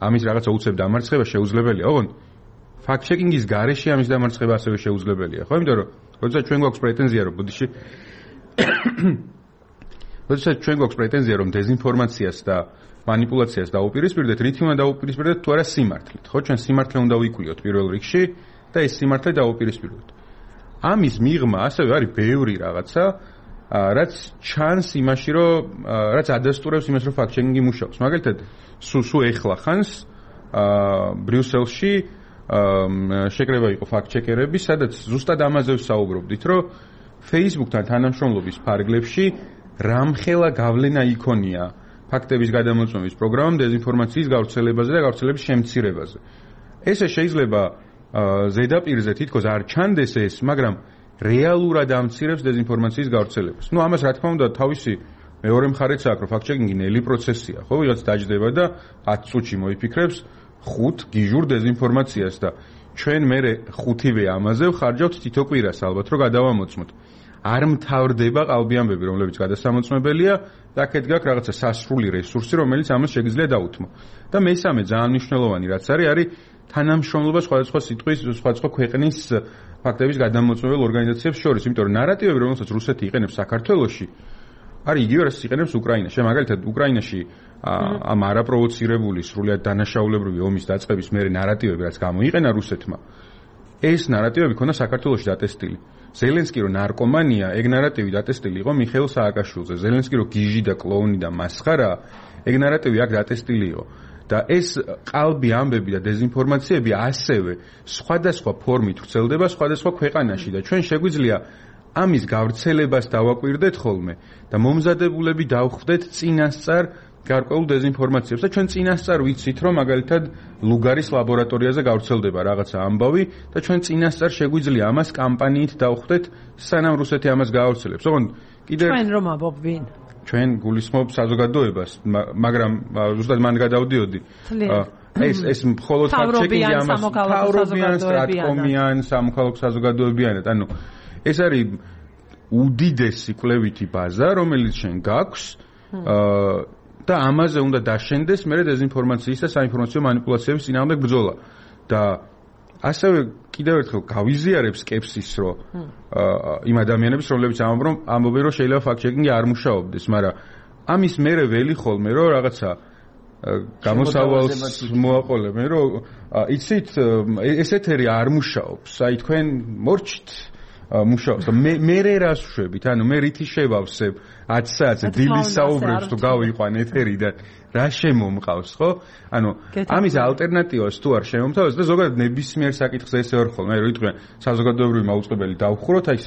ამის რაღაცა უცებ დამარცხება შეუძლებელია. ოღონდ fact-checking-ის გარეშე ამის დამარცხება ასევე შეუძლებელია. ხო, იმიტომ რომ როდესაც ჩვენ გვაქვს პრეტენზია, რომ ბოდიში როდესაც ჩვენ გვაქვს პრეტენზია, რომ დეзинფორმაციას და манипуляციას დაუპირისპირდეთ, რითი უნდა დაუპირისპირდეთ თუ არა სიმართლით. ხო, ჩვენ სიმართლე უნდა ვიკვლიოთ პირველ რიგში და ეს სიმართლე დაუპირისპირდეთ. ამის მიღმა ასევე არის ბევრი რაღაცა, რაც ჩანს იმაში, რომ რაც ადასტურებს იმას, რომ fact-checking-ი მუშაობს. მაგალითად, სუ ეხლა ხანს ბრიუსელში შეკრება იყო fact-checkerები, სადაც ზუსტად ამაზე ვსაუბრობდით, რომ Facebook-თან თანამშრომლობის ფარგლებში რამხელა გავლენა იქონია ფაქტების გადამოწმების პროგრამამ დეзинფორმაციის გავრცელებაზე და გავრცელების შემცირებაზე. ესე შეიძლება ზედაპირზე თითქოს არ ჩანდეს ეს, მაგრამ რეალურად ამცირებს დეзинფორმაციის გავრცელებას. ნუ ამას რა თქმა უნდა თავისი მეორე მხარეც აქვს, რომ fact-checking-ი ნელი პროცესია, ხო, ვიღაც დაждდება და 10 წუთში მოიფიქრებს 5 გიჟურ დეзинფორმაციას და ჩვენ მერე 5-ვე ამაზე ვხარჯავთ თითო კვირას ალბათ, რომ გადავამოწმოთ. არ მთავრდება ყალბი ამბები, რომლებიც გადასამოწმებელია და აქეთ გაქვს რაღაცა სასრული რესურსი, რომელიც ამას შეგიძლია დაუთმო. და მესამე ძალიან მნიშვნელოვანი რაც არის თანამშრომლობა სხვადასხვა სიტყვის, სხვადასხვა ქვეყნის ფაქტების გადამოწმებელ ორგანიზაციებს შორის, იმიტომ რომ ნარატივები, რომელსაც რუსეთი იყენებს საქართველოში, არის იგივე რაც იყენებს უკრაინაში. მაგალითად, უკრაინაში ამ არაპროვოცირებული სრულიად დანაშაულებრივი ომის დაწყების მერე ნარატივები, რაც გამოიყენა რუსეთმა, ეს ნარატივები ქონდა საქართველოში დატესტილი. ზელენსკი რო ნარკომანია, ეგ ნარატივი დატესტილი იყო მიხეილ სააკაშვილზე. ზელენსკი რო გიჟი და კლოუნი და მასხარა, ეგ ნარატივი აქ დატესტილი იყო. და ეს ყალბი ამბები და დეзинფორმაციები ასევე სხვადასხვა ფორმით ვრცელდება სხვადასხვა ქვეყანაში და ჩვენ შეგვიძლია ამის გავრცელებას დავაკვირდეთ ხოლმე და მომზადებულები დავხვდეთ წინასწარ გარკვეულ დეзинფორმაციებს და ჩვენ წინასწარ ვიცით რომ მაგალითად ლუგარის ლაბორატორიაზე გავრცელდება რაღაცა ამბავი და ჩვენ წინასწარ შეგვიძლია ამას კამპანიით დავხვდეთ სანამ რუსეთი ამას გაავრცელებს. ოღონდ კიდევ ჩვენ რომ ამბობ ვინ? ჩვენ გულისხმობ საზოგადოებას, მაგრამ ზუსტად მან გადავდიოდი. ეს მხოლოდ fact-checking-ი ამას თავრობიან, სტრატკომიან, სამოქალაქო საზოგადოებიანად. ანუ ეს არის უდიდესი კვლევითი ბაზა, რომელიც შენ გაქვს და ამაზე უნდა დაშენდეს მერე დეзинფორმაციის და საინფორმაციო манипуляციების წინააღმდეგ ბრძოლა. და ასევე კიდევ ერთხელ გავიზიარებ სკეპსის, რომ იმ ადამიანების, რომლებიც ამბობენ, რომ შეიძლება fact-checking-ი არ მუშაობდეს, მაგრამ ამის მერე ველი ხოლმე, რომ რაღაცა გამოსავალს მოაყოლებ, რომ იცით, ეს ეთერი არ მუშაობს, აი თქვენ მორჩით მუშაობს და მე რას ვშვებით, ანუ მე რითი შევავსებ 10 საათზე დილის საუბრებს თუ გავიყვან ეთერიდან რა შემომყავს, ხო? ანუ ამის ალტერნატივას თუ არ შემომთავაზ და ზოგადად ნებისმიერ საკითხზე ესე ვარ ხოლმე, რომ იტყვიან საზოგადოებრივი მაუწყებელი დავხუროთ, აი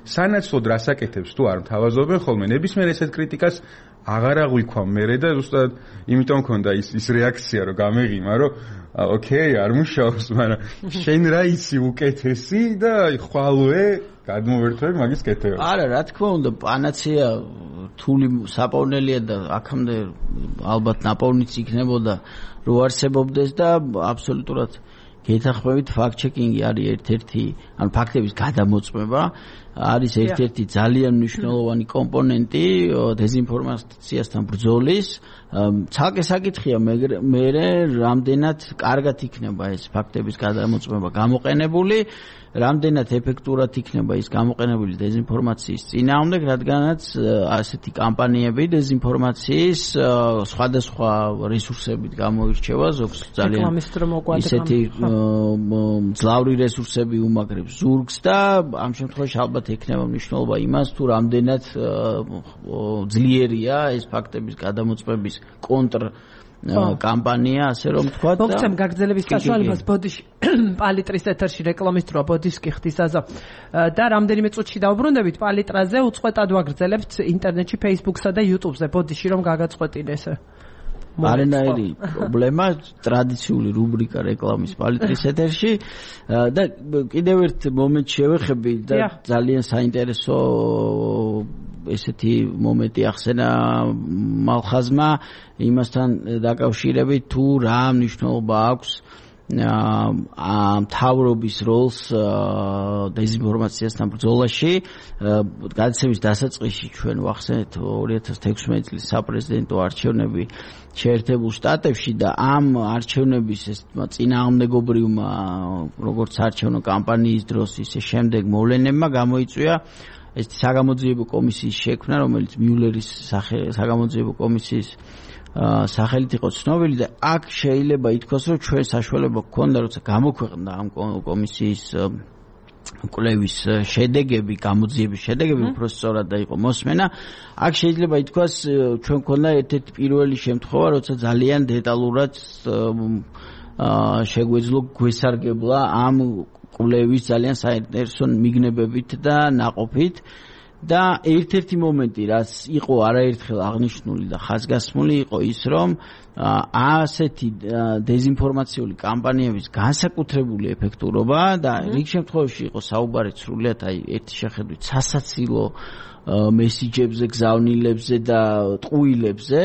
სანაცვლოდ რასაკეთებს თუ არ მთავაზობენ ხოლმე ნებისმიერ ესეთ კრიტიკას აღარ აღვიქვა მერე და ზუსტად იმიტომ მქონდა ის რეაქცია რომ გამეღიმა რომ ოკეი არ მუშაობს მაგრამ შენ რა იცი უკეთესი და ხვალვე გადმოვერთვები მაგის კეთება არა რა თქმა უნდა პანაცეა რთული საპოვნელია და აქამდე ალბათ ნაპოვნიც იქნებოდა რო არსებობდეს და აბსოლუტურად გეთახმებით ფაქტ-ჩეკინგი არის ერთ-ერთი ანუ ფაქტების გადამოწმება არის ერთ-ერთი ძალიან მნიშვნელოვანი კომპონენტი დეზინფორმაციასთან ბრძოლის ცალკე საკითხია მე რამდენად კარგად იქნება ეს ფაქტების გადამოწმება გამოყენებული რამდენად ეფექტურად იქნება ის გამოყენებული დეზინფორმაციის წინააღმდეგ რადგანაც ასეთი კამპანიები დეზინფორმაციის სხვადასხვა რესურსებით გამოირჩევა ზოგს ძალიან ისეთი მძლავრი რესურსები უმაგრებს ზურგს და ამ შემთხვევაში ალბათ ექნება მნიშვნელობა იმას თუ რამდენად ძლიერია ეს ფაქტების გადამოწმების კონტრ კამპანია ასე რომ თქვა და მოგცემ გაგრძელების საშუალებას ბოდიში პალიტრის ეთერში რეკლამის დროა ბოდისკი ხდის აზა და რამდენიმე წუთში დავბრუნდებით პალიტრაზე უწყვეტად ვაგრძელებთ ინტერნეტში Facebook-სა და YouTube-ზე ბოდიში რომ გაგაწყვეტინეს არანაირი პრობლემა ტრადიციული რუბრიკა რეკლამის პალიტრის ეთერში და კიდევ ერთ მომენტში შევეხები და ძალიან საინტერესო ესეთი მომენტი ახსენა მალხაზმა იმასთან დაკავშირებით თუ რა მნიშვნელობა აქვს მთავრობის როლს დეზინფორმაციასთან ბრძოლაში გადაცემის დასაწყისში ჩვენ ვახსენეთ 2016 წლის საპრეზიდენტო არჩევნები შეერთებულ შტატებში და ამ არჩევნების ეს წინააღმდეგობრივმა როგორც არჩევნო კამპანიის დროს ისე შემდეგ მოვლენებმა გამოიწვია ეს საგამოძიებო კომისიის შექმნა რომელიც მიულერის საგამოძიებო კომისიის სახელით იყო ცნობილი და აქ შეიძლება ითქვას რომ ჩვენ საშუალება გქონდა როცა გამოქვეყნდა ამ კომისიის კვლევის შედეგები გამოძიების შედეგები უფრო სწორად და იყო მოსმენა აქ შეიძლება ითქვას ჩვენ გქონდა ერთ-ერთი პირველი შემთხვევა როცა ძალიან დეტალურად შეგვეძლო გვესარგებლა ამ კვლევის ძალიან საინტერესო მიგნებებით და ნაყოფით და ერთ-ერთი მომენტი რაც იყო არაერთხელ აღნიშნული და ხაზგასმული იყო ის რომ ასეთი დეზინფორმაციული კამპანიების განსაკუთრებული ეფექტურობა და რიგ შემთხვევაში იყო საუბარი სრულიად აი ერთი შეხედვით სასაცილო მესიჯებზე გზავნილებზე და ტყუილებზე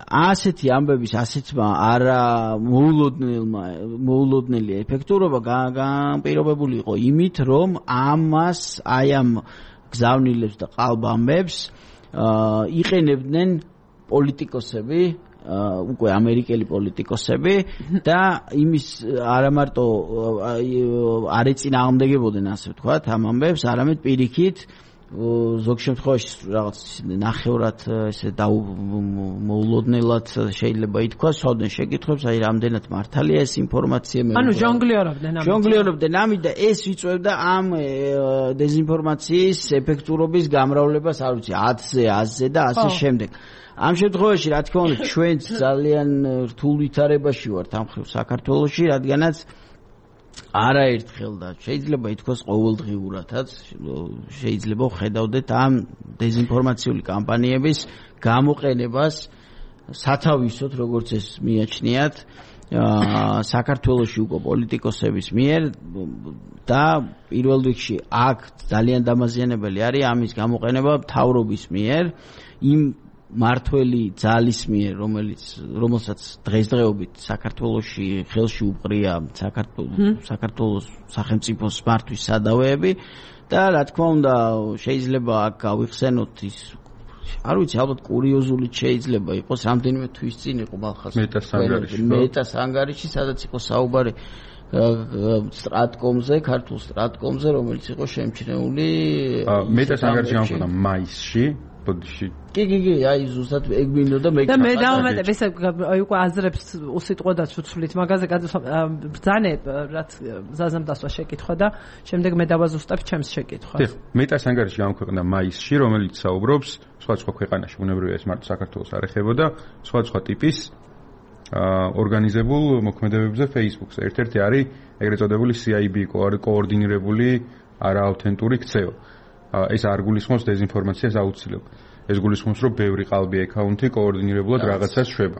ასეთი ამბების ასეთმა არა მოულოდნელი ეფექტურობა განპირობებული იყო იმით რომ ამას აი ამ გზავნილებს და ყალბამებს იყენებდნენ პოლიტიკოსები უკვე ამერიკელი პოლიტიკოსები და იმის არა მარტო არ ეწინააღმდეგებოდნენ ასე ვთქვათ ამ ამბებს არამედ პირიქით ზოგ შემთხვევაში რაღაც ნახევრად ესე მოულოდნელად შეიძლება ითქვას სვავდნენ შეკითხვებს აი რამდენად მართალია ეს ინფორმაცია ანუ ჟონგლიორობდნენ ამით და ეს იწვევდა ამ დეზინფორმაციის ეფექტურობის გამრავლებას არ ვიცი 10-ზე 100-ზე და ასე შემდეგ ამ შემთხვევაში რა თქმა უნდა ჩვენ ძალიან რთულ ვითარებაში ვართ ამ ხრივ საქართველოში რადგანაც არაერთხელ და შეიძლება ითქვას ყოველდღიურადაც შეიძლება ვხედავდეთ ამ დეზინფორმაციული კამპანიების გამოყენებას სათავისოდ როგორც ეს მიაჩნიათ საქართველოში უკვე პოლიტიკოსების მიერ და პირველ რიგში აქ ძალიან დამაზიანებელი არის ამის გამოყენება მთავრობის მიერ იმ მართველი ძალის მიერ რომელსაც დღესდღეობით საქართველოში ხელში უყრია საქართველოს სახელმწიფოს მართვის სადავეები და რა თქმა უნდა შეიძლება აქ გავიხსენოთ ის არ ვიცი ალბათ კურიოზული შეიძლება იყოს რამდენიმე თვის წინ იყო მეტას ანგარიში სადაც იყო საუბარი სტრატკომზე ქართულ სტრატკომზე რომელიც იყო შემჩნეული მეტას ანგარიში გამოვიდა მაისში კი აი ზუსტად ეგ მინდოდა და მე დავამატებ ესე აი უკვე აზრებს უსიტყვოდაც ვცვლით მაგაზე ბრძანე რაც ზაზამ დასვა შეკითხვა და შემდეგ მე დავაზუსტებ ჩემს შეკითხვას მეტას ანგარიში გამოქვეყნდა მაისში რომელიც საუბრობს სხვა ქვეყანაში ბუნებრივია ეს მარტო საქართველოს არ ეხებოდა სხვა ტიპის ორგანიზებულ მოქმედებებზე Facebook-ზე ერთ-ერთი არის ეგრეთ წოდებული CIB კოორდინირებული არაავთენტური ქცევა ეს არ გულისხმობს დეზინფორმაციას აუცილებლად. ეს გულისხმობს, რომ ბევრი ყალბი აკაუნთი კოორდინირებულად რაღაცას შვება.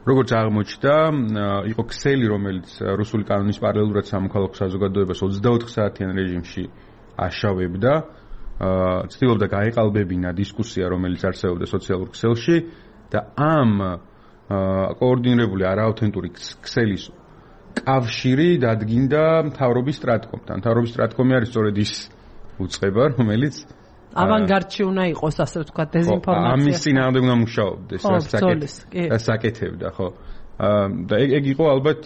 როგორც აღმოჩნდა, იყო ქსელი, რომელიც რუსული კანონის პარალელურად სამოქალაქო საზოგადოებას 24 საათიან რეჟიმში აშავებდა, ცდილობდა გაეყალბებინა დისკუსია, რომელიც არსებობდა სოციალურ ქსელში და ამ კოორდინირებული არააუთენტური ქსელის კავშირი დადგინდა მთავრობის სტრატკომთან. მთავრობის სტრატკომი არის სწორედ ის უწყება, რომელიც ავანგარდში უნდა იყოს, ასე ვთქვათ, დეзинფორმაცია. ამის წინააღმდეგ უნდა მუშაობდეს, რაც საკეთებდა, ხო. და ეგ იყო ალბათ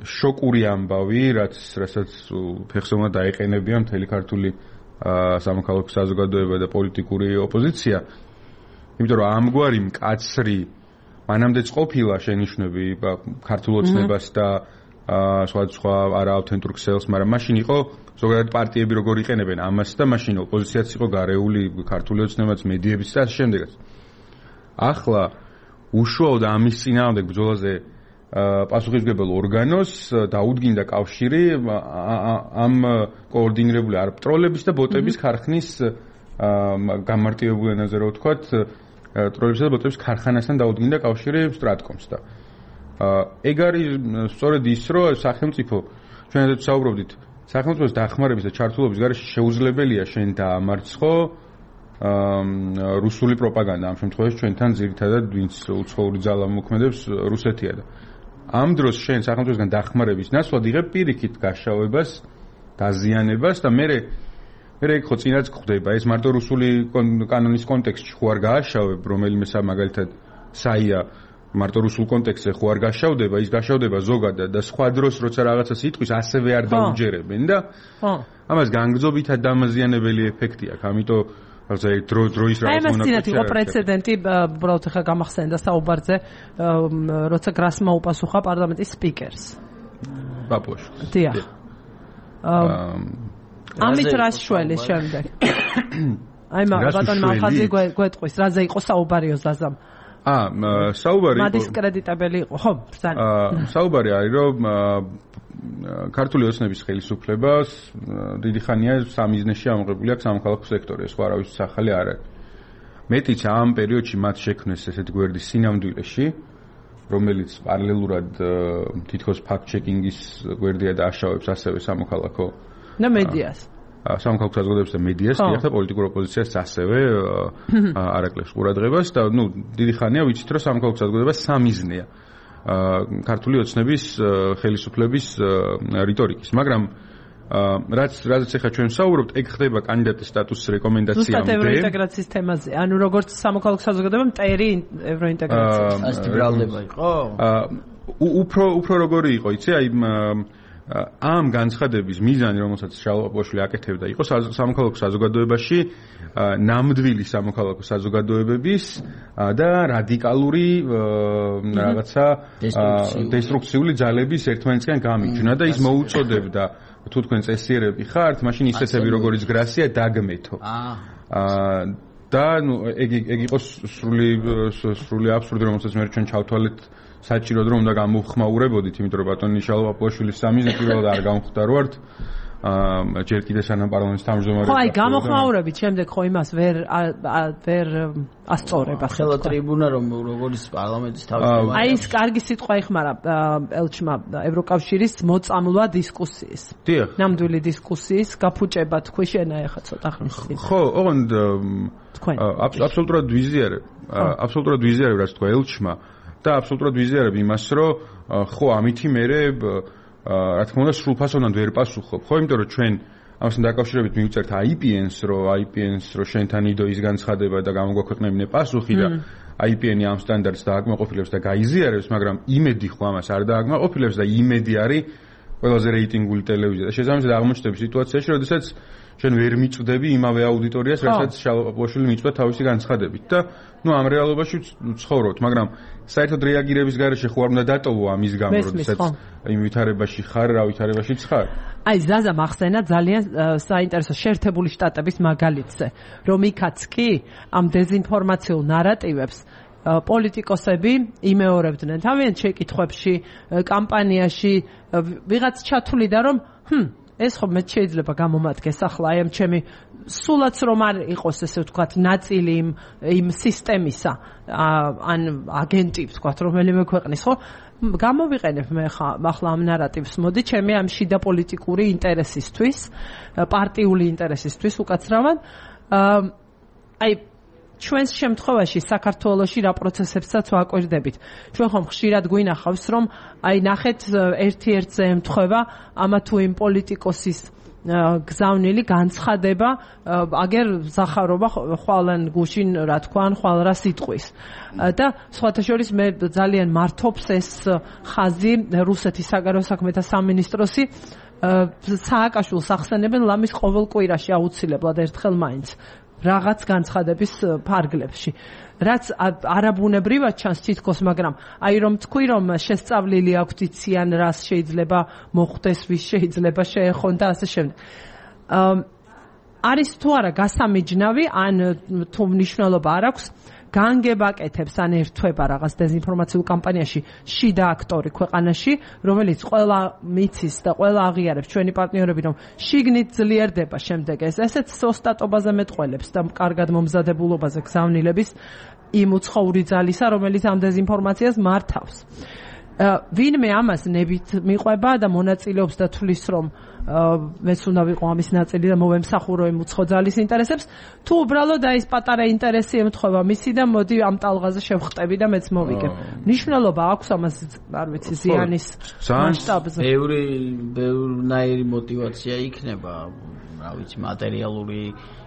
შოკური ამბავი, რასაც ფეხსოვნა დაეყენებია მთელი ქართული სამოქალაქო საზოგადოება და პოლიტიკური ოპოზიცია. იმიტომ რომ ამგვარი მკაცრი მანამდეც ყოფილა შენიშვნები ქართულ ოცნებას და სხვა არააუთენტურ ქსელს, მაგრამ მაშინ იყო ზოგადად პარტიები როგორ იყენებენ ამას და მაშინ ოპოზიციაც იყო გარეული ქართული ოცნებაც, მედიებიც და ასე შემდეგაც. ახლა უშუალოდ ამის წინააღმდეგ ბრძოლაზე პასუხისმგებელ ორგანოს დაუდგინდა კავშირი ამ კოორდინირებული არბიტროლების და ბოტების ქარხნის გამარტივებულ ენაზე რო ვთქვათ, ტროლებისა და ბოტების ქარხანასთან დაუდგინდა კავშირი სტრატკომს და ეგ არის სწორედ ის, რომ სახელმწიფო ჩვენადაც საუბრობდით, სახელმწიფოს დახმარების და ჩართულობის გარეშე შეუძლებელია შენ დაამარცხო რუსული პროპაგანდა. ამ შემთხვევაში ჩვენთან ძირითადად ვინც უცხოური ძალა მოქმედებს რუსეთია და ამ დროს შენ სახელმწიფოსგან დახმარების ნაცვლად იღებ პირიქით გაშავებას, დაზიანებას და მე ხო წინაც გვხდება ეს მარტო რუსული კანონის კონტექსტში ხო არ გააშავებ, რომელიმე მაგალითად საია მარტო რუსულ კონტექსტზე ხო არ გაშავდება, ის გაშავდება ზოგადად და სხვა დროს როცა რაღაცას იტყვის ასევე არ დაუჯერებენ და ამას განგრძობითად დამაზიანებელი ეფექტი აქვს. ამიტომ რაღაცა დროის რაღაც მონაკრეფი. აი მასინათ იყო პრეცედენტი, უბრალოდ ხა გამახსენდა საუბარზე, როცა გრასმა უპასუხა პარლამენტის სპიკერს. ბაბოშკას. დიახ. ამით რას შველის შემდეგ? აი ბატონ მალხაძე გვეტყვის, რაზე იყო საუბარიო ზაზამ? საუბარი იყო მადისკრედიტებელი იყო, ხო? საუბარი არის, რომ ქართული ოცნების ხელისუფლებას დიდი ხანია სამიზნეში ამოღებული აქვს სამოქალაქო სექტორი, სხვა არავის ახალი არ არის. მეტიც ამ პერიოდში მათ შექმნეს ესეთ გვერდი სინამდვილეში, რომელიც პარალელურად თითქოს ფაქტ-ჩეკინგის გვერდია და აშავებს ასევე სამოქალაქო და მედიას. სამოქალაქო საზოგადოებას და მედიას და პოლიტიკურ ოპოზიციას ასევე არაკლებს ყურადღებას და დიდი ხანია ვიცით, რომ სამოქალაქო საზოგადოება სამიზნეა ქართული ოცნების ხელისუფლების რიტორიკის, მაგრამ რაც ახლა ჩვენ ვსაუბრობთ, ეგ ხდება კანდიდატის სტატუსის რეკომენდაციამდე. ზუსტად ევროინტეგრაციის თემაზე. ანუ როგორც სამოქალაქო საზოგადოება მტერი ევროინტეგრაციაში. ასეთი ბრალდება იყო? უფრო როგორი იყო, იცი, აი ამ განცხადების მიზანი, რომელსაც შალვა-პოშვილი აკეთებდა, იყო სამოქალაქო საზოგადოებაში ნამდვილი სამოქალაქო საზოგადოებების და რადიკალური რაღაცა დესტრუქციული ძალების ერთმანეთისგან გამიჯვნა და ის მოუწოდებდა, თუ თქვენ წესიერები ხართ, მაშინ ისეთები როგორიც გრასია დაგმეთო. და ეგ იყო სრული აბსურდი, რომელსაც მე ჩვენ ჩავთვალეთ საჭიროდ რომ უნდა გამოვხმაურებოდით, იმიტომ რომ ბატონი შალვა-პოშვილის სამიზნე პირველად არ გამختاروართ. ჯერ კიდე სანამ პარლამენტის თავმჯდომარე. ხო, აი გამოხმაურებით შემდეგ ხო იმას ვერ ასწორება. ხელა ტრიბუნა რომ როგორც პარლამენტის თავმჯდომარე. აი ის კარგი სიტყვა იხმარა ელჩმა ევროკავშირის მოწამლვა დისკუსიის. დიახ. ნამდვილი დისკუსიის გაფუჭება თქვი შენა ეხა ცოტა ხნის წინ. ხო, ოღონდ აბსოლუტურად ვიზიარებ. აბსოლუტურად ვიზიარებ რაც თქვა ელჩმა. და აბსოლუტურად ვიზიარებ იმას, რომ ხო ამითი მერე რა თქმა უნდა სრულფასოვნად ვერ პასუხობ. ხო, იმიტომ რომ ჩვენ ამასთან დაკავშირებით მივწერთ IPN-ს, რომ შენთან იდო ის განცხადება და გამოგვაქვეყნებინე პასუხი და IPN-ი ამ სტანდარტს დააკმაყოფილებს და გაიზიარებს, მაგრამ იმედი ხო ამას არ დააკმაყოფილებს და იმედი არის ყველაზე რეიტინგული ტელევიზია და შესაბამისად აღმოჩნდება სიტუაციაში, როდესაც შენ ვერ მიწვდები იმავე აუდიტორიას, რასაც შალვა-პოშვილი მიწვდა თავისი განცხადებით და ამ რეალობაში ვცხოვრობთ, მაგრამ საერთოდ რეაგირების გარეშე ხო არ უნდა დატოვო ამის გამო, როდესაც იმ ვითარებაში ხარ, რა ვითარებაშიც ხარ. აი ზაზა მახსენა ძალიან საინტერესო შეერთებული შტატების მაგალითზე, რომ იქაც კი ამ დეзинფორმაციულ ნარატივებს პოლიტიკოსები იმეორებდნენ თავიანთ შეკითხვებში, კამპანიაში, ვიღაც ჩათვლიდა, რომ ეს ხო მე შეიძლება გამომადგეს ახლა აი ამ ჩემი სულაც რომ არ იყოს ესე ვთქვათ ნაწილი იმ სისტემისა ან აგენტი ვთქვათ რომელიმე ქვეყნის ხო გამოვიყენებ მე ახლა ამ ნარატივს მოდი ჩემი ამ შიდა პოლიტიკური ინტერესისთვის პარტიული ინტერესისთვის უკაცრავად აი ჩვენს შემთხვევაში საქართველოში რა პროცესებსაც ვაკვირდებით. ჩვენ ხომ ხშირად გვინახავს, რომ აი ნახეთ ერთ-ერთზე ემთხვევა ამა თუ იმ პოლიტიკოსის გზავნილი განცხადება, აგერ ზახარობა ხვალან გუშინ რა თქვა, ხვალ რა სიტყვის. და სხვათა შორის მე ძალიან მართობს ეს ხაზი რუსეთის საგარეო საქმეთა სამინისტროსი სააკაშვილს ახსენებენ ლამის ყოველ კვირაში აუცილებლად ერთხელ მაინც. რაღაც განცხადების ფარგლებში. რაც არაბუნებრივად ჩანს თითქოს, მაგრამ აი რომ თქვი რომ შესწავლილი აქვთ იციან რას შეიძლება მოხდეს, ვის შეიძლება შეეხონ და ასე შემდეგ. არის თუ არა გასამიჯნავი, ან თუ მნიშვნელობა არ აქვს განგებაკეთებს ან ერთვება რაღაც დეзинფორმაციულ კამპანიაში შიდა აქტორი ქვეყანაში, რომელიც ყველა მიცის და ყველა აღიარებს ჩვენი პარტნიორები, რომ შიგნით ძლიერდება შემდეგ ესეც ოსტატობაზე მეტყველებს და კარგად მომზადებულობაზე გზავნილების იმ უცხოური ძალისა, რომელიც ამ დეзинფორმაციას მართავს. ვინმე ამას ნებით მიყვება და მონაწილეობს და თვლის რომ მეც უნდა ვიყო ამის ნაწილი და მოვემსახურო იმ უცხო ძალის ინტერესებს, თუ უბრალოდ აი ეს პატარა ინტერესი ემთხვევა მისი და მოდი ამ ტალღაზე შევხტები და მეც მოვიგებ. ნიშნულობა აქვს ამას, არ ვიცი, ზიანის მასშტაბზე. ბევრნაირი мотиваცია იქნება, რა ვიცი, მატერიალური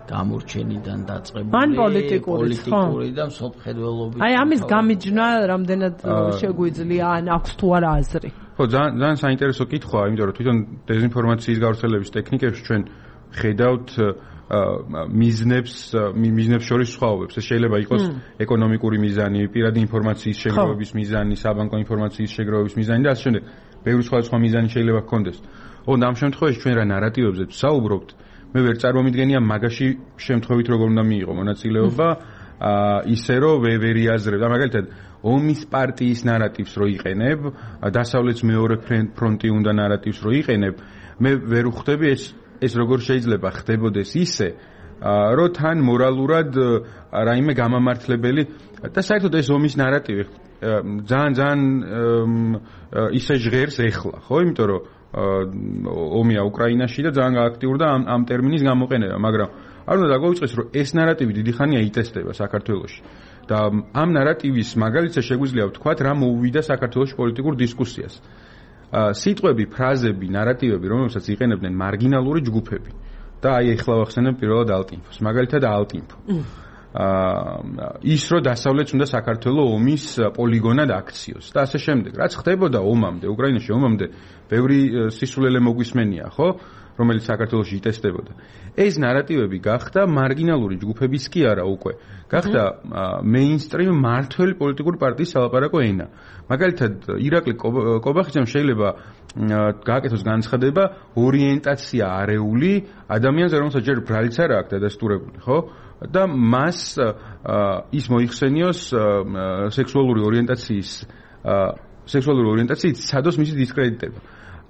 გამორჩენიდან დაწყებული, ან პოლიტიკური და მსოფლმხედველობის. აი ამის გამიჯნა რამდენად შეგვიძლია, ან აქვს თუ არა აზრი. ხო, ძალიან საინტერესო კითხვაა, იმიტომ რომ თვითონ დეзинფორმაციის გავრცელების ტექნიკებში ჩვენ ხედავთ მიზნებს შორის სხვაობებს. ეს შეიძლება იყოს ეკონომიკური მიზანი, პირადი ინფორმაციის შეგროვების მიზანი, საბანკო ინფორმაციის შეგროვების მიზანი და ასე შემდეგ. ბევრი სხვა მიზანი შეიძლება ჰქონდეს. ოღონდ ამ შემთხვევაში ჩვენ რა ნარატივებზე ვსაუბრობთ, მე ვერ წარმომიდგენია მაგაში შემთხვევით როგორ უნდა მიიღო მონაწილეობა, ისე რომ ვერ იაზრებ. მაგალითად, ომის პარტიის ნარატივს რო იყენებ, დასავლეთის მეორე ფრონტი უნდა ნარატივს რო იყენებ, მე ვერ ვხვდები ეს როგორ შეიძლება ხდებოდეს ისე, რომ თან მორალურად რაიმე გამამართლებელი და საერთოდ ეს ომის ნარატივი ძალიან ისე ჟღერს ეხლა, ხო, იმიტომ რომ ომია უკრაინაში და ძალიან აქტიურდა ამ ტერმინის გამოყენება, მაგრამ არ უნდა დაგვიწყდეს, რომ ეს ნარატივი დიდი ხანია იტესტება საქართველოში. და ამ ნარატივის მაგალითად შეგვიძლია ვთქვათ, რა მოუვიდა საქართველოს პოლიტიკურ დისკუსიას. სიტყვები, ფრაზები, ნარატივები, რომელსაც იყენებდნენ მარგინალური ჯგუფები. და აი ეხლა ვახსენებ პირველად ალტინფოს. მაგალითად ალტინფო. ის რომ დასავლეთს უნდა საქართველოს ომის პოლიგონად აქციოს და ასე შემდეგ. რაც ხდებოდა ომამდე, უკრაინაში ომამდე, ბევრი სისულელე მოგვისმენია, ხო? რომელიც საქართველოში იტესტებოდა. ეს ნარატივები გახდა მარგინალური ჯგუფების კი არა უკვე. გახდა მეინსტრიმ მართველი პოლიტიკური პარტიის სალაპარაკო ენა. მაგალითად, ირაკლი კობახიძემ შეიძლება გააკეთოს განცხადება ორიენტაცია არეული ადამიანზე, რომელსაც ჯერ ბრალიც არ აქვს დადასტურებული, ხო? და მას ის მოიხსენიოს სექსუალური ორიენტაციით სადოს მისი დისკრედიტება.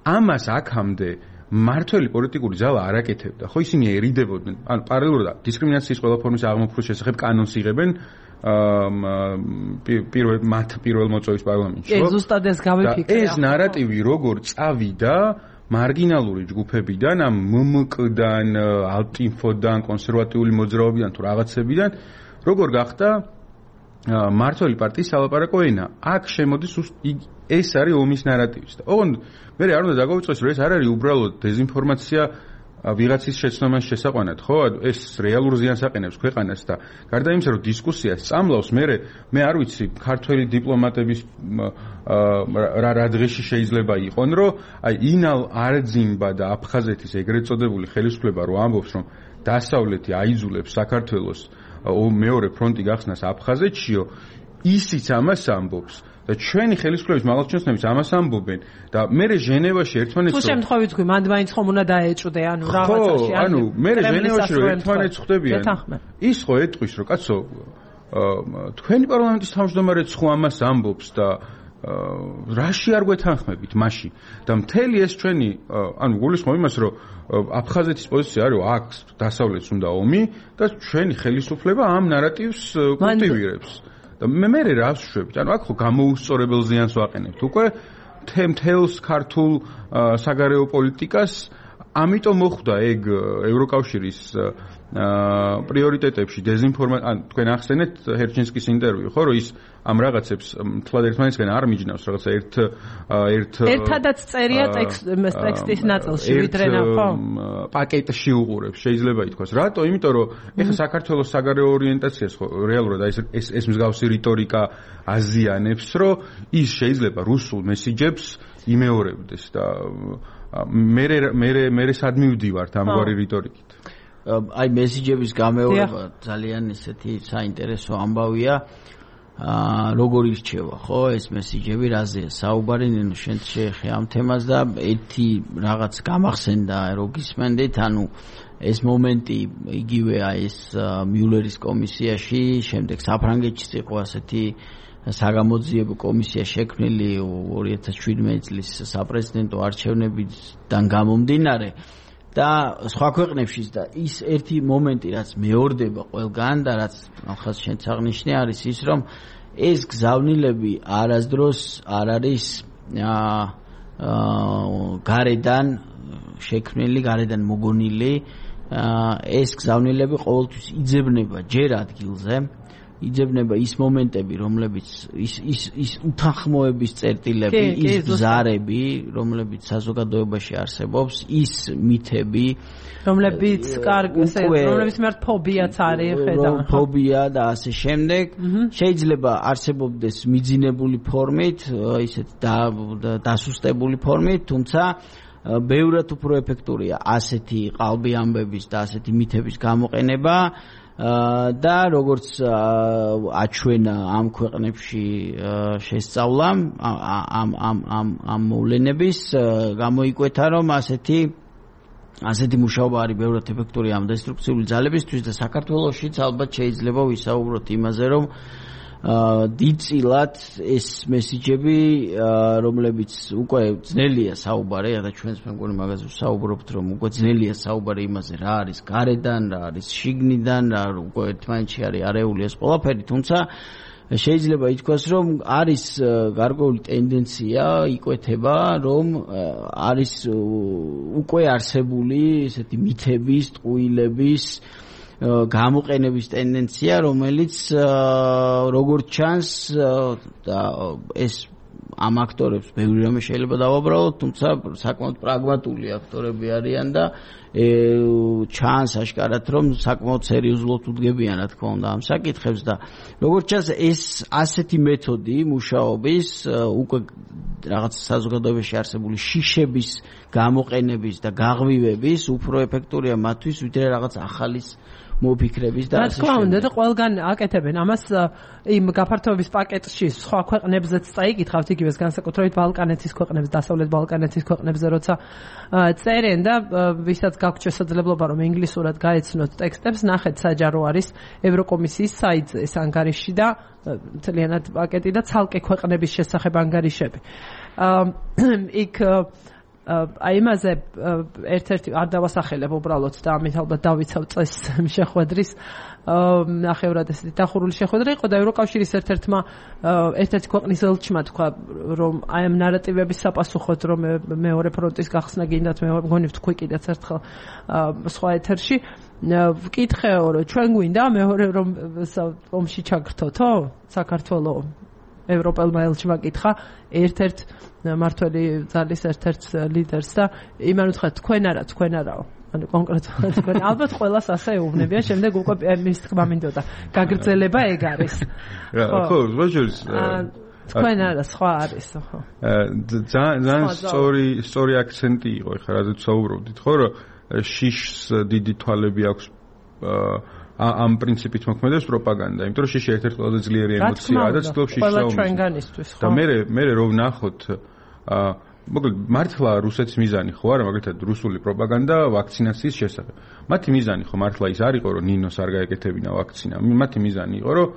ამას აქამდე მართველი პოლიტიკური ზალა არ აკეთებდა. ხო, ისინი ერიდებოდნენ, ანუ პარალელურად დისკრიმინაციის ყველა ფორმის აღმოფხვრვის შესახებ კანონს იღებენ პირველ მოწვევის პარლამენტში, ხო? ზუსტად ეს გავიფიქრე. ეს ნარატივი როგორ წავიდა მარგინალური ჯგუფებიდან, ამ მმკ-დან, ალტინფოდან, კონსერვატიული მოძრაობიდან თუ რაღაცებიდან, როგორ გახდა მართველი პარტიის სალაპარაკო ენა. აქ შემოდის ეს არის ომის ნარატივის და ოღონდ მე არ უნდა დაგვიწყოს, რომ ეს არ არის უბრალოდ დეзинფორმაცია ვიღაცის შეცნომას შესაყვანად, ხო? ეს რეალურ ზიანს აყენებს ქვეყანას და გარდა იმისა, რომ დისკუსიას წამლავს, მე არ ვიცი, ქართველი დიპლომატების რა დღეში შეიძლება იყონ, რომ აი ინალ არძიმბა და აფხაზეთის ეგრეთ წოდებული ხელისუფლება რო ამბობს, რომ დასავლეთი აიძულებს საქართველოს მეორე ფრონტი გახსნას აფხაზეთშიო, ისიც ამას ამბობს. და ჩვენი ხელისუფლების მაღალჩინოსნებიც ამას ამბობენ და მე ჟენევაში ერთმანეთს თუ შემთხვევით თქვი მანდ მაინც ხომ უნდა დაეჭვდე ანუ რაღაცაში ანუ მე ჟენევაში რომ ერთმანეთს ხვდებიან ის ხო ეტყვის რომ კაცო თქვენი პარლამენტის თავმჯდომარეც ხო ამას ამბობს და რაში არ გვეთანხმებით მაშინ და მთელი ეს ჩვენი ანუ გულისხმობ იმას რომ აფხაზეთის პოზიცია არის აქ დასავლეთს უნდა ომი და ჩვენი ხელისუფლება ამ ნარატივს კულტივირებს და მე რა ვშვებით ანუ აქ ხო გამოუსწორებელ ზიანს ვაყენებთ უკვე მთელს ქართულ საგარეო პოლიტიკას ამიტომ მოხვდა ეგ ევროკავშირის პრიორიტეტებში დეზინფორმაცია ან თქვენ ახსენეთ ჰერჩინსკის ინტერვიუ ხო რომ ის ამ რაღაცებს თლად ერთმანეთისგან არ მიჯნავს რაღაცა ერთადაც წერია ტექსტის ნაწილში ვიდრე ხო პაკეტში უყურებს შეიძლება ითქვას რატო იმიტომ რომ ეხლა საქართველოს საგარეო ორიენტაციას ხო რეალურად ეს მსგავსი რიტორიკა აზიანებს რომ ის შეიძლება რუსულ მესიჯებს იმეორებდეს და მე სად მივდივართ ამგვარი რიტორიკით აი მესიჯების გამეორება ძალიან ისეთი საინტერესო ამბავია როგორ ირჩევა ხო ეს მესიჯები რაზეა საუბარი ნინო შენ შეეხე ამ თემას და ერთი რაღაც გამახსენდა რო გისმენდით ანუ ეს მომენტი იგივე აი ეს მიულერის კომისიაში შემდეგ საფრანგეთშიც იყო ასეთი საგამოძიებო კომისია შექმნილი 2017 წლის საპრეზიდენტო არჩევნებიდან გამომდინარე და სხვა ქვეყნებშიც და ის ერთი მომენტი რაც მეორდება ყველგან და რაც ახალ შენც აღნიშნე არის ის რომ ეს გზავნილები არასდროს არ არის გარედან შექმნილი გარედან მოგონილი ეს გზავნილები ყოველთვის იძებნება ჯერ ადგილზე იძებნება ის მომენტები, რომლებიც ის უთანხმოების წერტილები, ის ბზარები, რომლებიც საზოგადოებაში არსებობს, ის მითები, რომლებიც რომლებიც მერტ ფობიაც არის, ხედავ. ფობია და ასე შემდეგ. შეიძლება არსებობდეს მიძინებული ფორმით, ისეთ დასუსტებული ფორმით, თუმცა ბევრად უფრო ეფექტურია ასეთი ყალბი ამბების და ასეთი მითების გამოყენება. და როგორც აჩვენა ამ ქვეყნებში შესწავლამ ამ მოვლენების გამოიკვეთა რომ ასეთი მუშაობა არის ბევრად ეფექტური ამ დესტრუქციული ძალებისთვის და საქართველოშიც ალბათ შეიძლება ვისაუბროთ იმაზე რომ დიდწილად ეს მესიჯები რომლებიც უკვე ძნელია საუბარი და ჩვენს მე მგონი მაგაზე ვსაუბრობთ რომ უკვე ძნელია საუბარი იმაზე რა არის გარედან რა არის შიგნიდან რა უკვე ერთმანეთში არის არეული ეს ყველაფერი თუმცა შეიძლება ითქვას რომ არის გარკვეული ტენდენცია იკვეთება რომ არის უკვე არსებული ესეთი მითების ტყუილების გამოყენების ტენდენცია, რომელიც როგორც ჩანს და ეს ამ აქტორებს ბევრი რამე შეიძლება დავაბრალოთ, თუმცა საკმაოდ პრაგმატული აქტორები არიან და ჩანს აშკარად რომ საკმაოდ სერიოზულად უდგებიან რა თქმა უნდა ამ საკითხებს და როგორც ჩანს ეს ასეთი მეთოდი მუშაობის უკვე რაღაც საზოგადოებაში არსებული შიშების გამოყენების და გაღვივების უფრო ეფექტურია მათთვის ვიდრე რაღაც ახალის მოფიქრების და ასე შემდეგ. რა თქმა უნდა და ყველგან აკეთებენ ამას იმ გაფართოების პაკეტში სხვა ქვეყნებზეც წაიკითხავთ იგივეს განსაკუთრებით ბალკანეთის ქვეყნებს, დასავლეთ ბალკანეთის ქვეყნებზე როცა წერენ და ვისაც გაქვთ შესაძლებლობა რომ ინგლისურად გაეცნოთ ტექსტებს, ნახეთ საჯარო არის ევროკომისიის საიტზე ეს ანგარიში და მთლიანად პაკეტი და ცალკე ქვეყნების შესახებ ანგარიშები. იქ აი იმაზე ერთ-ერთი არ დავასახელებ უბრალოდ და ამით ალბათ დავიცავ წეს შეხვედრის ნახევრად ესეთი დახურული შეხვედრა იყო და ევროკავშირის ერთ-ერთი ქვეყნის ელჩმა თქვა რომ აი ამ ნარატივების საპასუხოდ რომ მეორე ფრონტის გახსნა გინდათ მე მგონი ვთქვი კიდეც ერთხელ სხვა ეთერში ვკითხეო რომ ჩვენ გვინდა მეორე რომ ომში ჩაგრთოთო საქართველოს ევროპელმა ელჩმა კითხა ერთ-ერთ მართველი ძალის ერთ-ერთ ლიდერს და იმან უთხრა თქვენ არაო ანუ კონკრეტულად თქვენ ალბათ ყველას ასე ეუბნებიან შემდეგ უკვე მის თქმა მინდოდა გაგრძელება ეგ არის ხო ვაჟერს თქვენ არა სხვა არის ხო ძალიან სწორი აქცენტი იყო ხა რადგან საუბრობდით ხო რომ შიშს დიდი თვალები აქვს ამ პრინციპით მოქმედებს პროპაგანდა, იმიტომ რომ შიში ერთ-ერთი ყველაზე ძლიერი ემოციაა და ცდილობს შიშს ჩვენგანისთვის, ხო? და მე რომ ვნახოთ მოკლედ მართლა რუსეთის მიზანი ხო არა, მაგალითად რუსული პროპაგანდა ვაქცინაციის შესახებ. მათი მიზანი ხო მართლა ის არ იყო რომ ნინოს არ გაეკეთებინა ვაქცინა. მათი მიზანი იყო რომ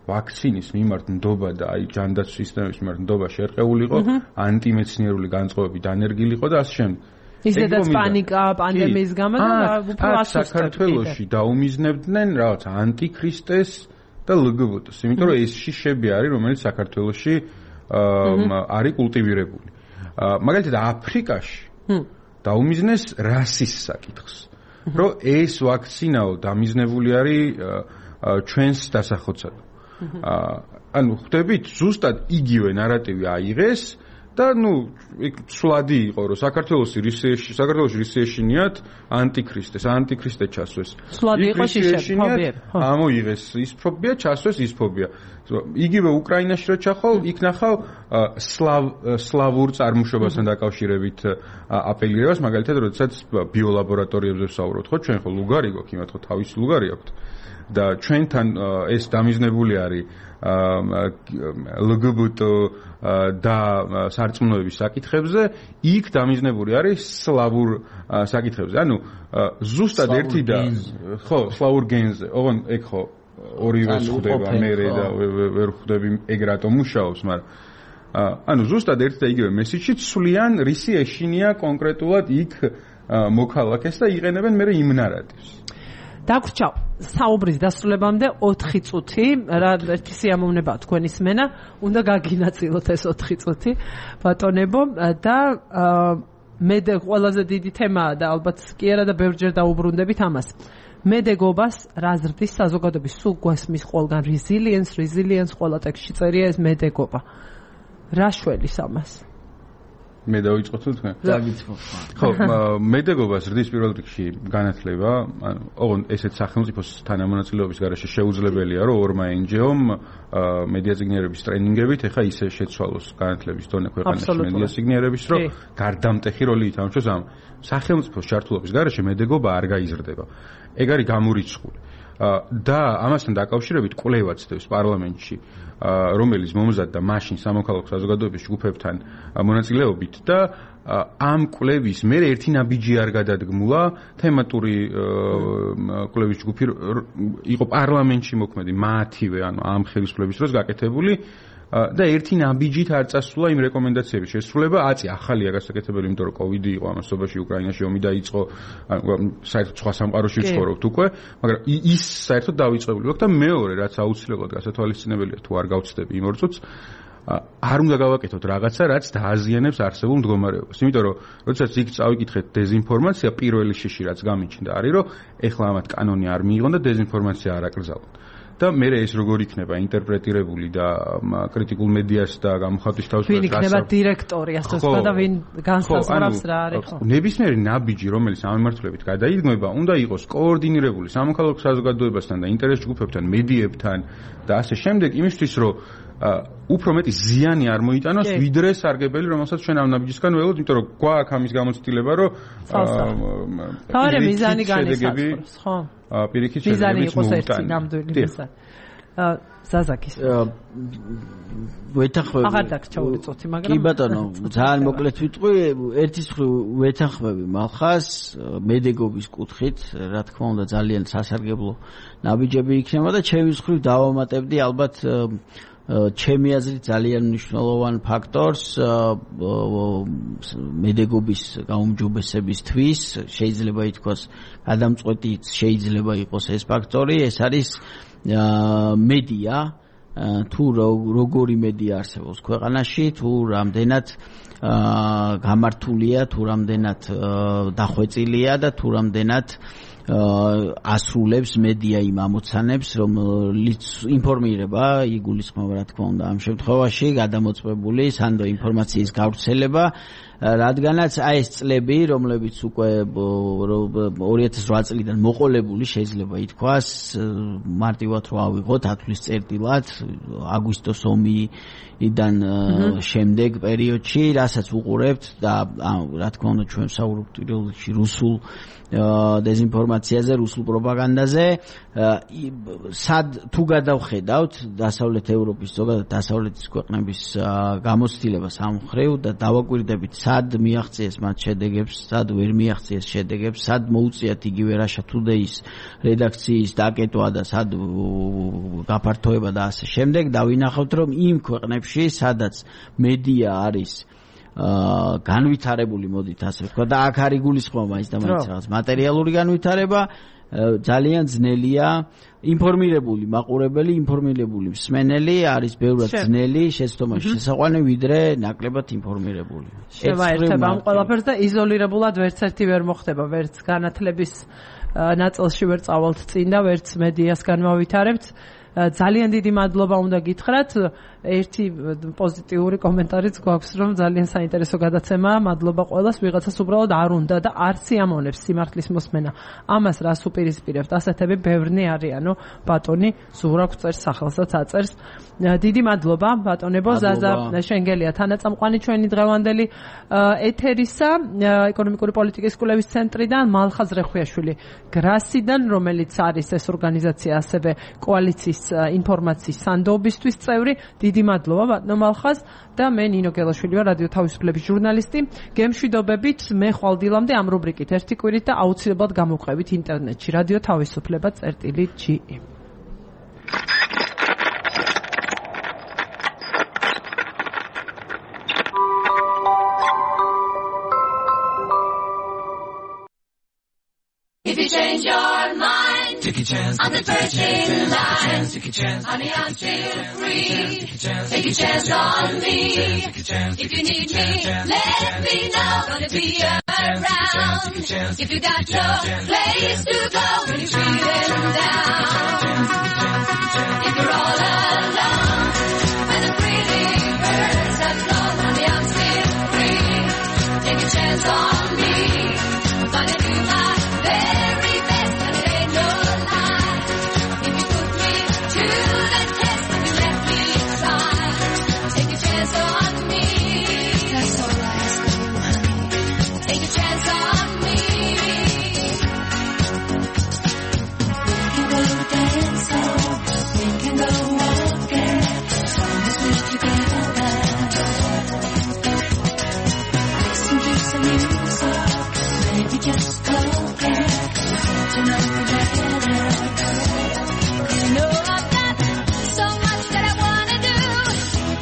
ვაქცინის მიმართ ნდობა და აი ჯანდაცვის სისტემის მიმართ ნდობა შერყეული იყო, ანტიმეცნიერული განწყობები დანერგილი იყო და ასე შემდეგ. ისედაც პანიკა პანდემიის გამო და უფრო საქართველოში დაუმიზნებდნენ რაღაც ანტიქრისტეს და ლგბტ-ს, იმიტომ რომ ეს შიშები არის, რომელიც საქართველოში არის კულტივირებული. მაგალითად აფრიკაში დაუმიზნეს რასის საკითხს, რომ ეს ვაქცინაო დამიზნებული არის ჩვენს დასახოცად. ანუ ხვდებით, ზუსტად იგივე ნარატივი აიღეს და სვლადი იყო, რომ საქართველოში რისეშინიათ ანტიქრისტე ჩასვეს. სვლადი იყო შიშები. ამოიღეს ის ფობია, ჩასვეს ის ფობია. იგივე უკრაინაში რო ჩახვალ, იქ ნახავ სლავურ წარმოშობასთან დაკავშირებით აპელირებას, მაგალითად, როდესაც ბიოლაბორატორიებზე ვსაუბრობთ, ხო, ჩვენ ხო ლუგარი გვაქვს, იმათ ხო თავისი ლუგარი აქვთ. და ჩვენთან ეს დამიზნებული არის ლგბტ და სარწმუნოების საკითხებზე, იქ დამიზნებული არის სლავურ საკითხებზე. ანუ ზუსტად ერთი და ხო, სლავურ გენზე. ოღონ ეგ ხო ორივე ხდება მერე და ვერ ხვდები ეგ რატომ მუშაობს, მაგრამ ანუ ზუსტად ერთი და იგივე მესიჯი ცვლიან რისი ეშინია კონკრეტულად იქ მოქალაქეს და იყენებენ მერე იმ ნარატივს. დაგვრჩა საუბრის დასრულებამდე 4 წუთი, რა ერთი სიამოვნებაა თქვენი სმენა, უნდა გაგინაწილოთ ეს 4 წუთი, ბატონებო და მე ყველაზე დიდი თემაა და ალბათ კი არა და ბევრჯერ დაუბრუნდებით ამას. მედეგობას რა ზრდის საზოგადოების სულ გვესმის ყველგან resilience ყველა ტექსტში წერია ეს მედეგობა. რა შველის ამას? მე დავიწყო თუ თქვენ? დავიწყო. ხო, მედეგობა ზრდის პირველ რიგში განათლება, ანუ ოღონ ესეთ სახელმწიფოს თანამონაწილეობის გარეშე შეუძლებელია, რომ ორმა NGO-მ მედიაციგნიერების ტრენინგებით ეხა ისე შეცვალოს განათლების დონე ქვეყანაში მედიაციგნიერების, რომ გარდამტეხი როლი ითამაშოს ამ სახელმწიფოს ჩართულობის გარეშე მედეგობა არ გაიზრდება. ეგ არის გამორიცხული. და ამასთან დაკავშირებით კვლევაც ხდება პარლამენტში, რომელიც მომზადდა მაშინ სამოქალაქო საზოგადოების ჯგუფებთან მონაწილეობით და ამ კვლევის მერე ერთი ნაბიჯი არ გადადგმულა, თემატური კვლევის ჯგუფი იყო პარლამენტში მოქმედი, მათივე, ანუ ამ ხელისუფლების დროს გაკეთებული და ერთი ნაბიჯით არ წასულა იმ რეკომენდაციების შესრულება, ახალია გასაკეთებელი, იმიტომ რომ კოვიდი იყო ამასობაში, უკრაინაში ომი დაიწყო, საერთოდ სხვა სამყაროში ვცხოვრობთ უკვე, მაგრამ ის საერთოდ დავიწყებული აქვს და მეორე, რაც აუცილებლად გასათვალისწინებელია, თუ არ გავცდები იმ 2 წუთს, არ უნდა გავაკეთოთ რაღაცა, რაც დააზიანებს არსებულ მდგომარეობას. იმიტომ რომ, როდესაც იქ წავიკითხეთ დეზინფორმაცია, პირველი შიში რაც გამიჩნდა არის, რომ ეხლა ამათ კანონი არ მიიღონ და დეზინფორმაცია არ აკრძალონ. და მე ეს როგორ იქნება ინტერპრეტირებული და კრიტიკულ მედიას და გამოხატვის თავისუფლებას ვინ იქნება დირექტორი, ასე ვთქვა და ვინ განსაზღვრავს რა არის ხო? ნებისმიერი ნაბიჯი, რომელიც ამ მიმართულებით გადაიდგმება, უნდა იყოს კოორდინირებული სამოქალაქო საზოგადოებასთან და ინტერეს ჯგუფებთან, მედიებთან და ასე შემდეგ, იმისთვის რომ უფრო მეტი ზიანი არ მოიტანოს, ვიდრე სარგებელი, რომელსაც ჩვენ ამ ნაბიჯისგან ველოდებით, იმიტომ რომ გვაქვს ამის გამოცდილება, რომ თავარი მიზანი განისაზღვროს, ხო? პირიქით შედეგების მოუტანა. ნამდვილი მიზანი. ზაზაკის. ვეთანხმები. აღარ დაგჭაული წუთი, მაგრამ კი ბატონო, ძალიან მოკლედ ვიტყვი, ერთის მხრივ ვეთანხმები მალხას მედეგობის კუთხით, რა თქმა უნდა ძალიან სასარგებლო ნაბიჯები იქნება და ჩემის მხრივ დავამატებდი ალბათ ჩემი აზრით ძალიან მნიშვნელოვან ფაქტორს მედეგობის გაუმჯობესებისთვის, შეიძლება ითქვას გადამწყვეტიც შეიძლება იყოს ეს ფაქტორი, ეს არის მედია, თუ როგორი მედია არსებობს ქვეყანაში, თუ რამდენად გამართულია, თუ რამდენად დახვეწილია და თუ რამდენად ასრულებს მედია იმ ამოცანებს, რომელიც ინფორმირება, იგულისხმება რა თქმა უნდა ამ შემთხვევაში გადამოწმებული სანდო ინფორმაციის გავრცელება, რადგანაც აი ეს წლები, რომლებიც უკვე 2008 წლიდან მოყოლებული შეიძლება ითქვას, მარტივად რო ავიღოთ ათვლის წერტილად, აგვისტოს ომიდან შემდეგ პერიოდში, რასაც უყურებთ და რა თქმა უნდა ჩვენ ვსაუბრობთ პირველში რუსულ დეზინფორმაციაზე, რუსულ პროპაგანდაზე, სად თუ გადავხედავთ დასავლეთ ევროპის, ზოგადად დასავლეთის ქვეყნების გამოცდილებას ამ მხრივ და დავაკვირდებით სად სად მიაღწიეს მათ შედეგებს, სად ვერ მიაღწიეს შედეგებს, სად მოუწიათ იგივე Russia Today-ის რედაქციის დაკეტვა და სად გაფართოება და ასე შემდეგ და ვინახავთ რომ იმ ქვეყნებში სადაც მედია არის განვითარებული მოდით ასე ვთქვა და აქ არის გულისხმობა მაინც და მაინც რაღაც მატერიალური განვითარება ძალიან ძნელია ინფორმირებული მაყურებელი, ინფორმირებული მსმენელი არის ბევრად ძნელი შეცდომაში შესაყვანი ვიდრე ნაკლებად ინფორმირებული. შევაერთება ამ ყველაფერს და იზოლირებულად ვერც ერთი ვერ მოხდება, ვერც განათლების ნაწილში ვერ წავალთ წინ და ვერც მედიას განმავითარებთ. ძალიან დიდი მადლობა უნდა გითხრათ. ერთი პოზიტიური კომენტარიც გვაქვს, რომ ძალიან საინტერესო გადაცემაა. მადლობა ყველას, ვიღაცას უბრალოდ არ უნდა და არ სიამოვნებს სიმართლის მოსმენა. ამას რას უპირისპირებთ? ასეთები ბევრნი არიანო, ბატონი ზურა გვწერს სახელსაც აწერს. დიდი მადლობა ბატონებო, ზაზა შენგელია თანაწამყვანი ჩვენი დღევანდელი ეთერისა ეკონომიკური პოლიტიკის კვლევის ცენტრიდან, მალხაზ რეხვიაშვილი გრასიდან, რომელიც არის ეს ორგანიზაცია ასევე კოალიციის ინფორმაციის სანდოობისთვის წევრი. დიდი მადლობა ბატონო მალხაზ და მე ნინო გელაშვილი ვარ, რადიო თავისუფლების ჟურნალისტი. გემშვიდობებით, მე ხვალ დილამდე ამ რუბრიკით ერთი კვირით და აუცილებლად გამოვყევით ინტერნეტში რადიო თავისუფლება.ge. If you change your mind, take a chance on the virgin line. Take a chance, honey, I'm still free. Take a chance on me. If you need me, let me know. Gonna be around. If you got no place to go, when you're feeling down. If you're all alone, when the pretty birds have flown, honey, I'm still free. Take a chance on me. Gonna do my very best, and it ain't no lie. If you put me to the test, if you let me try, take a chance on me. That's all I ask of you, honey. Take a chance on me. We can go dancing, we can go walking, as long as we're together. Listen to some music, maybe just talking. You know I've got so much that I wanna do.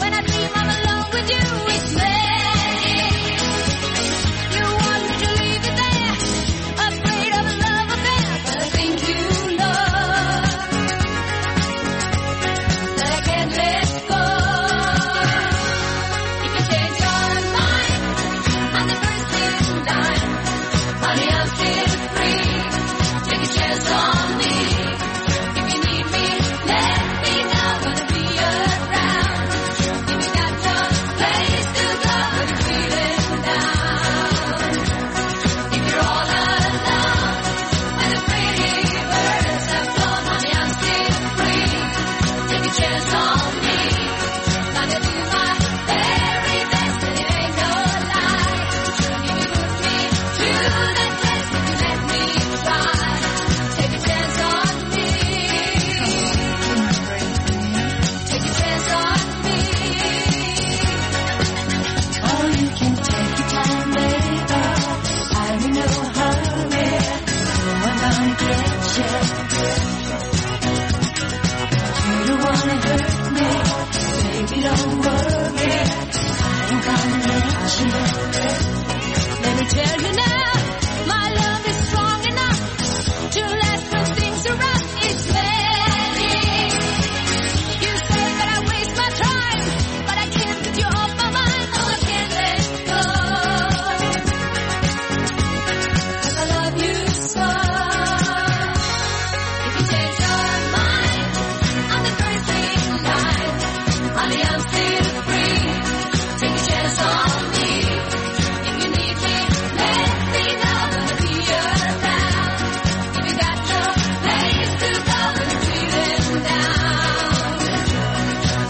When I dream I'm alone with you, it's me. You want me to leave it there, afraid of a love affair, but I think you know that I can't let go. If you change your mind, I'm the first in line. Honey, I'm still free. Take a chance on me. If you need me, let me know. Gonna be around. If you got no place to go, when you're feeling down. If you're all alone, when the pretty birds have flown, honey, I'm still free. Take a chance on me. Gonna do my very best, and it ain't no lie. If you put me to the test, if you let me try, take a chance on me. Take a chance on me. Oh, you can take your time, baby. I'm in no hurry. No, I'm gonna get you. You don't wanna hurt me, baby, don't worry. I ain't gonna let you. Let me tell you now, my love is strong enough to last when things are rough. It's me. You say that I waste my time, but I can't get you off my mind. Oh, I can't let go. 'Cause I love you so. If you change your mind, I'm the first in line. Honey, I'm still free. Take a chance on me. If you need me, let me know. Gonna be around. If you got no place to go, when you're feeling down.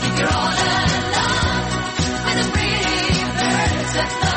If you're all alone, when the pretty birds have flown.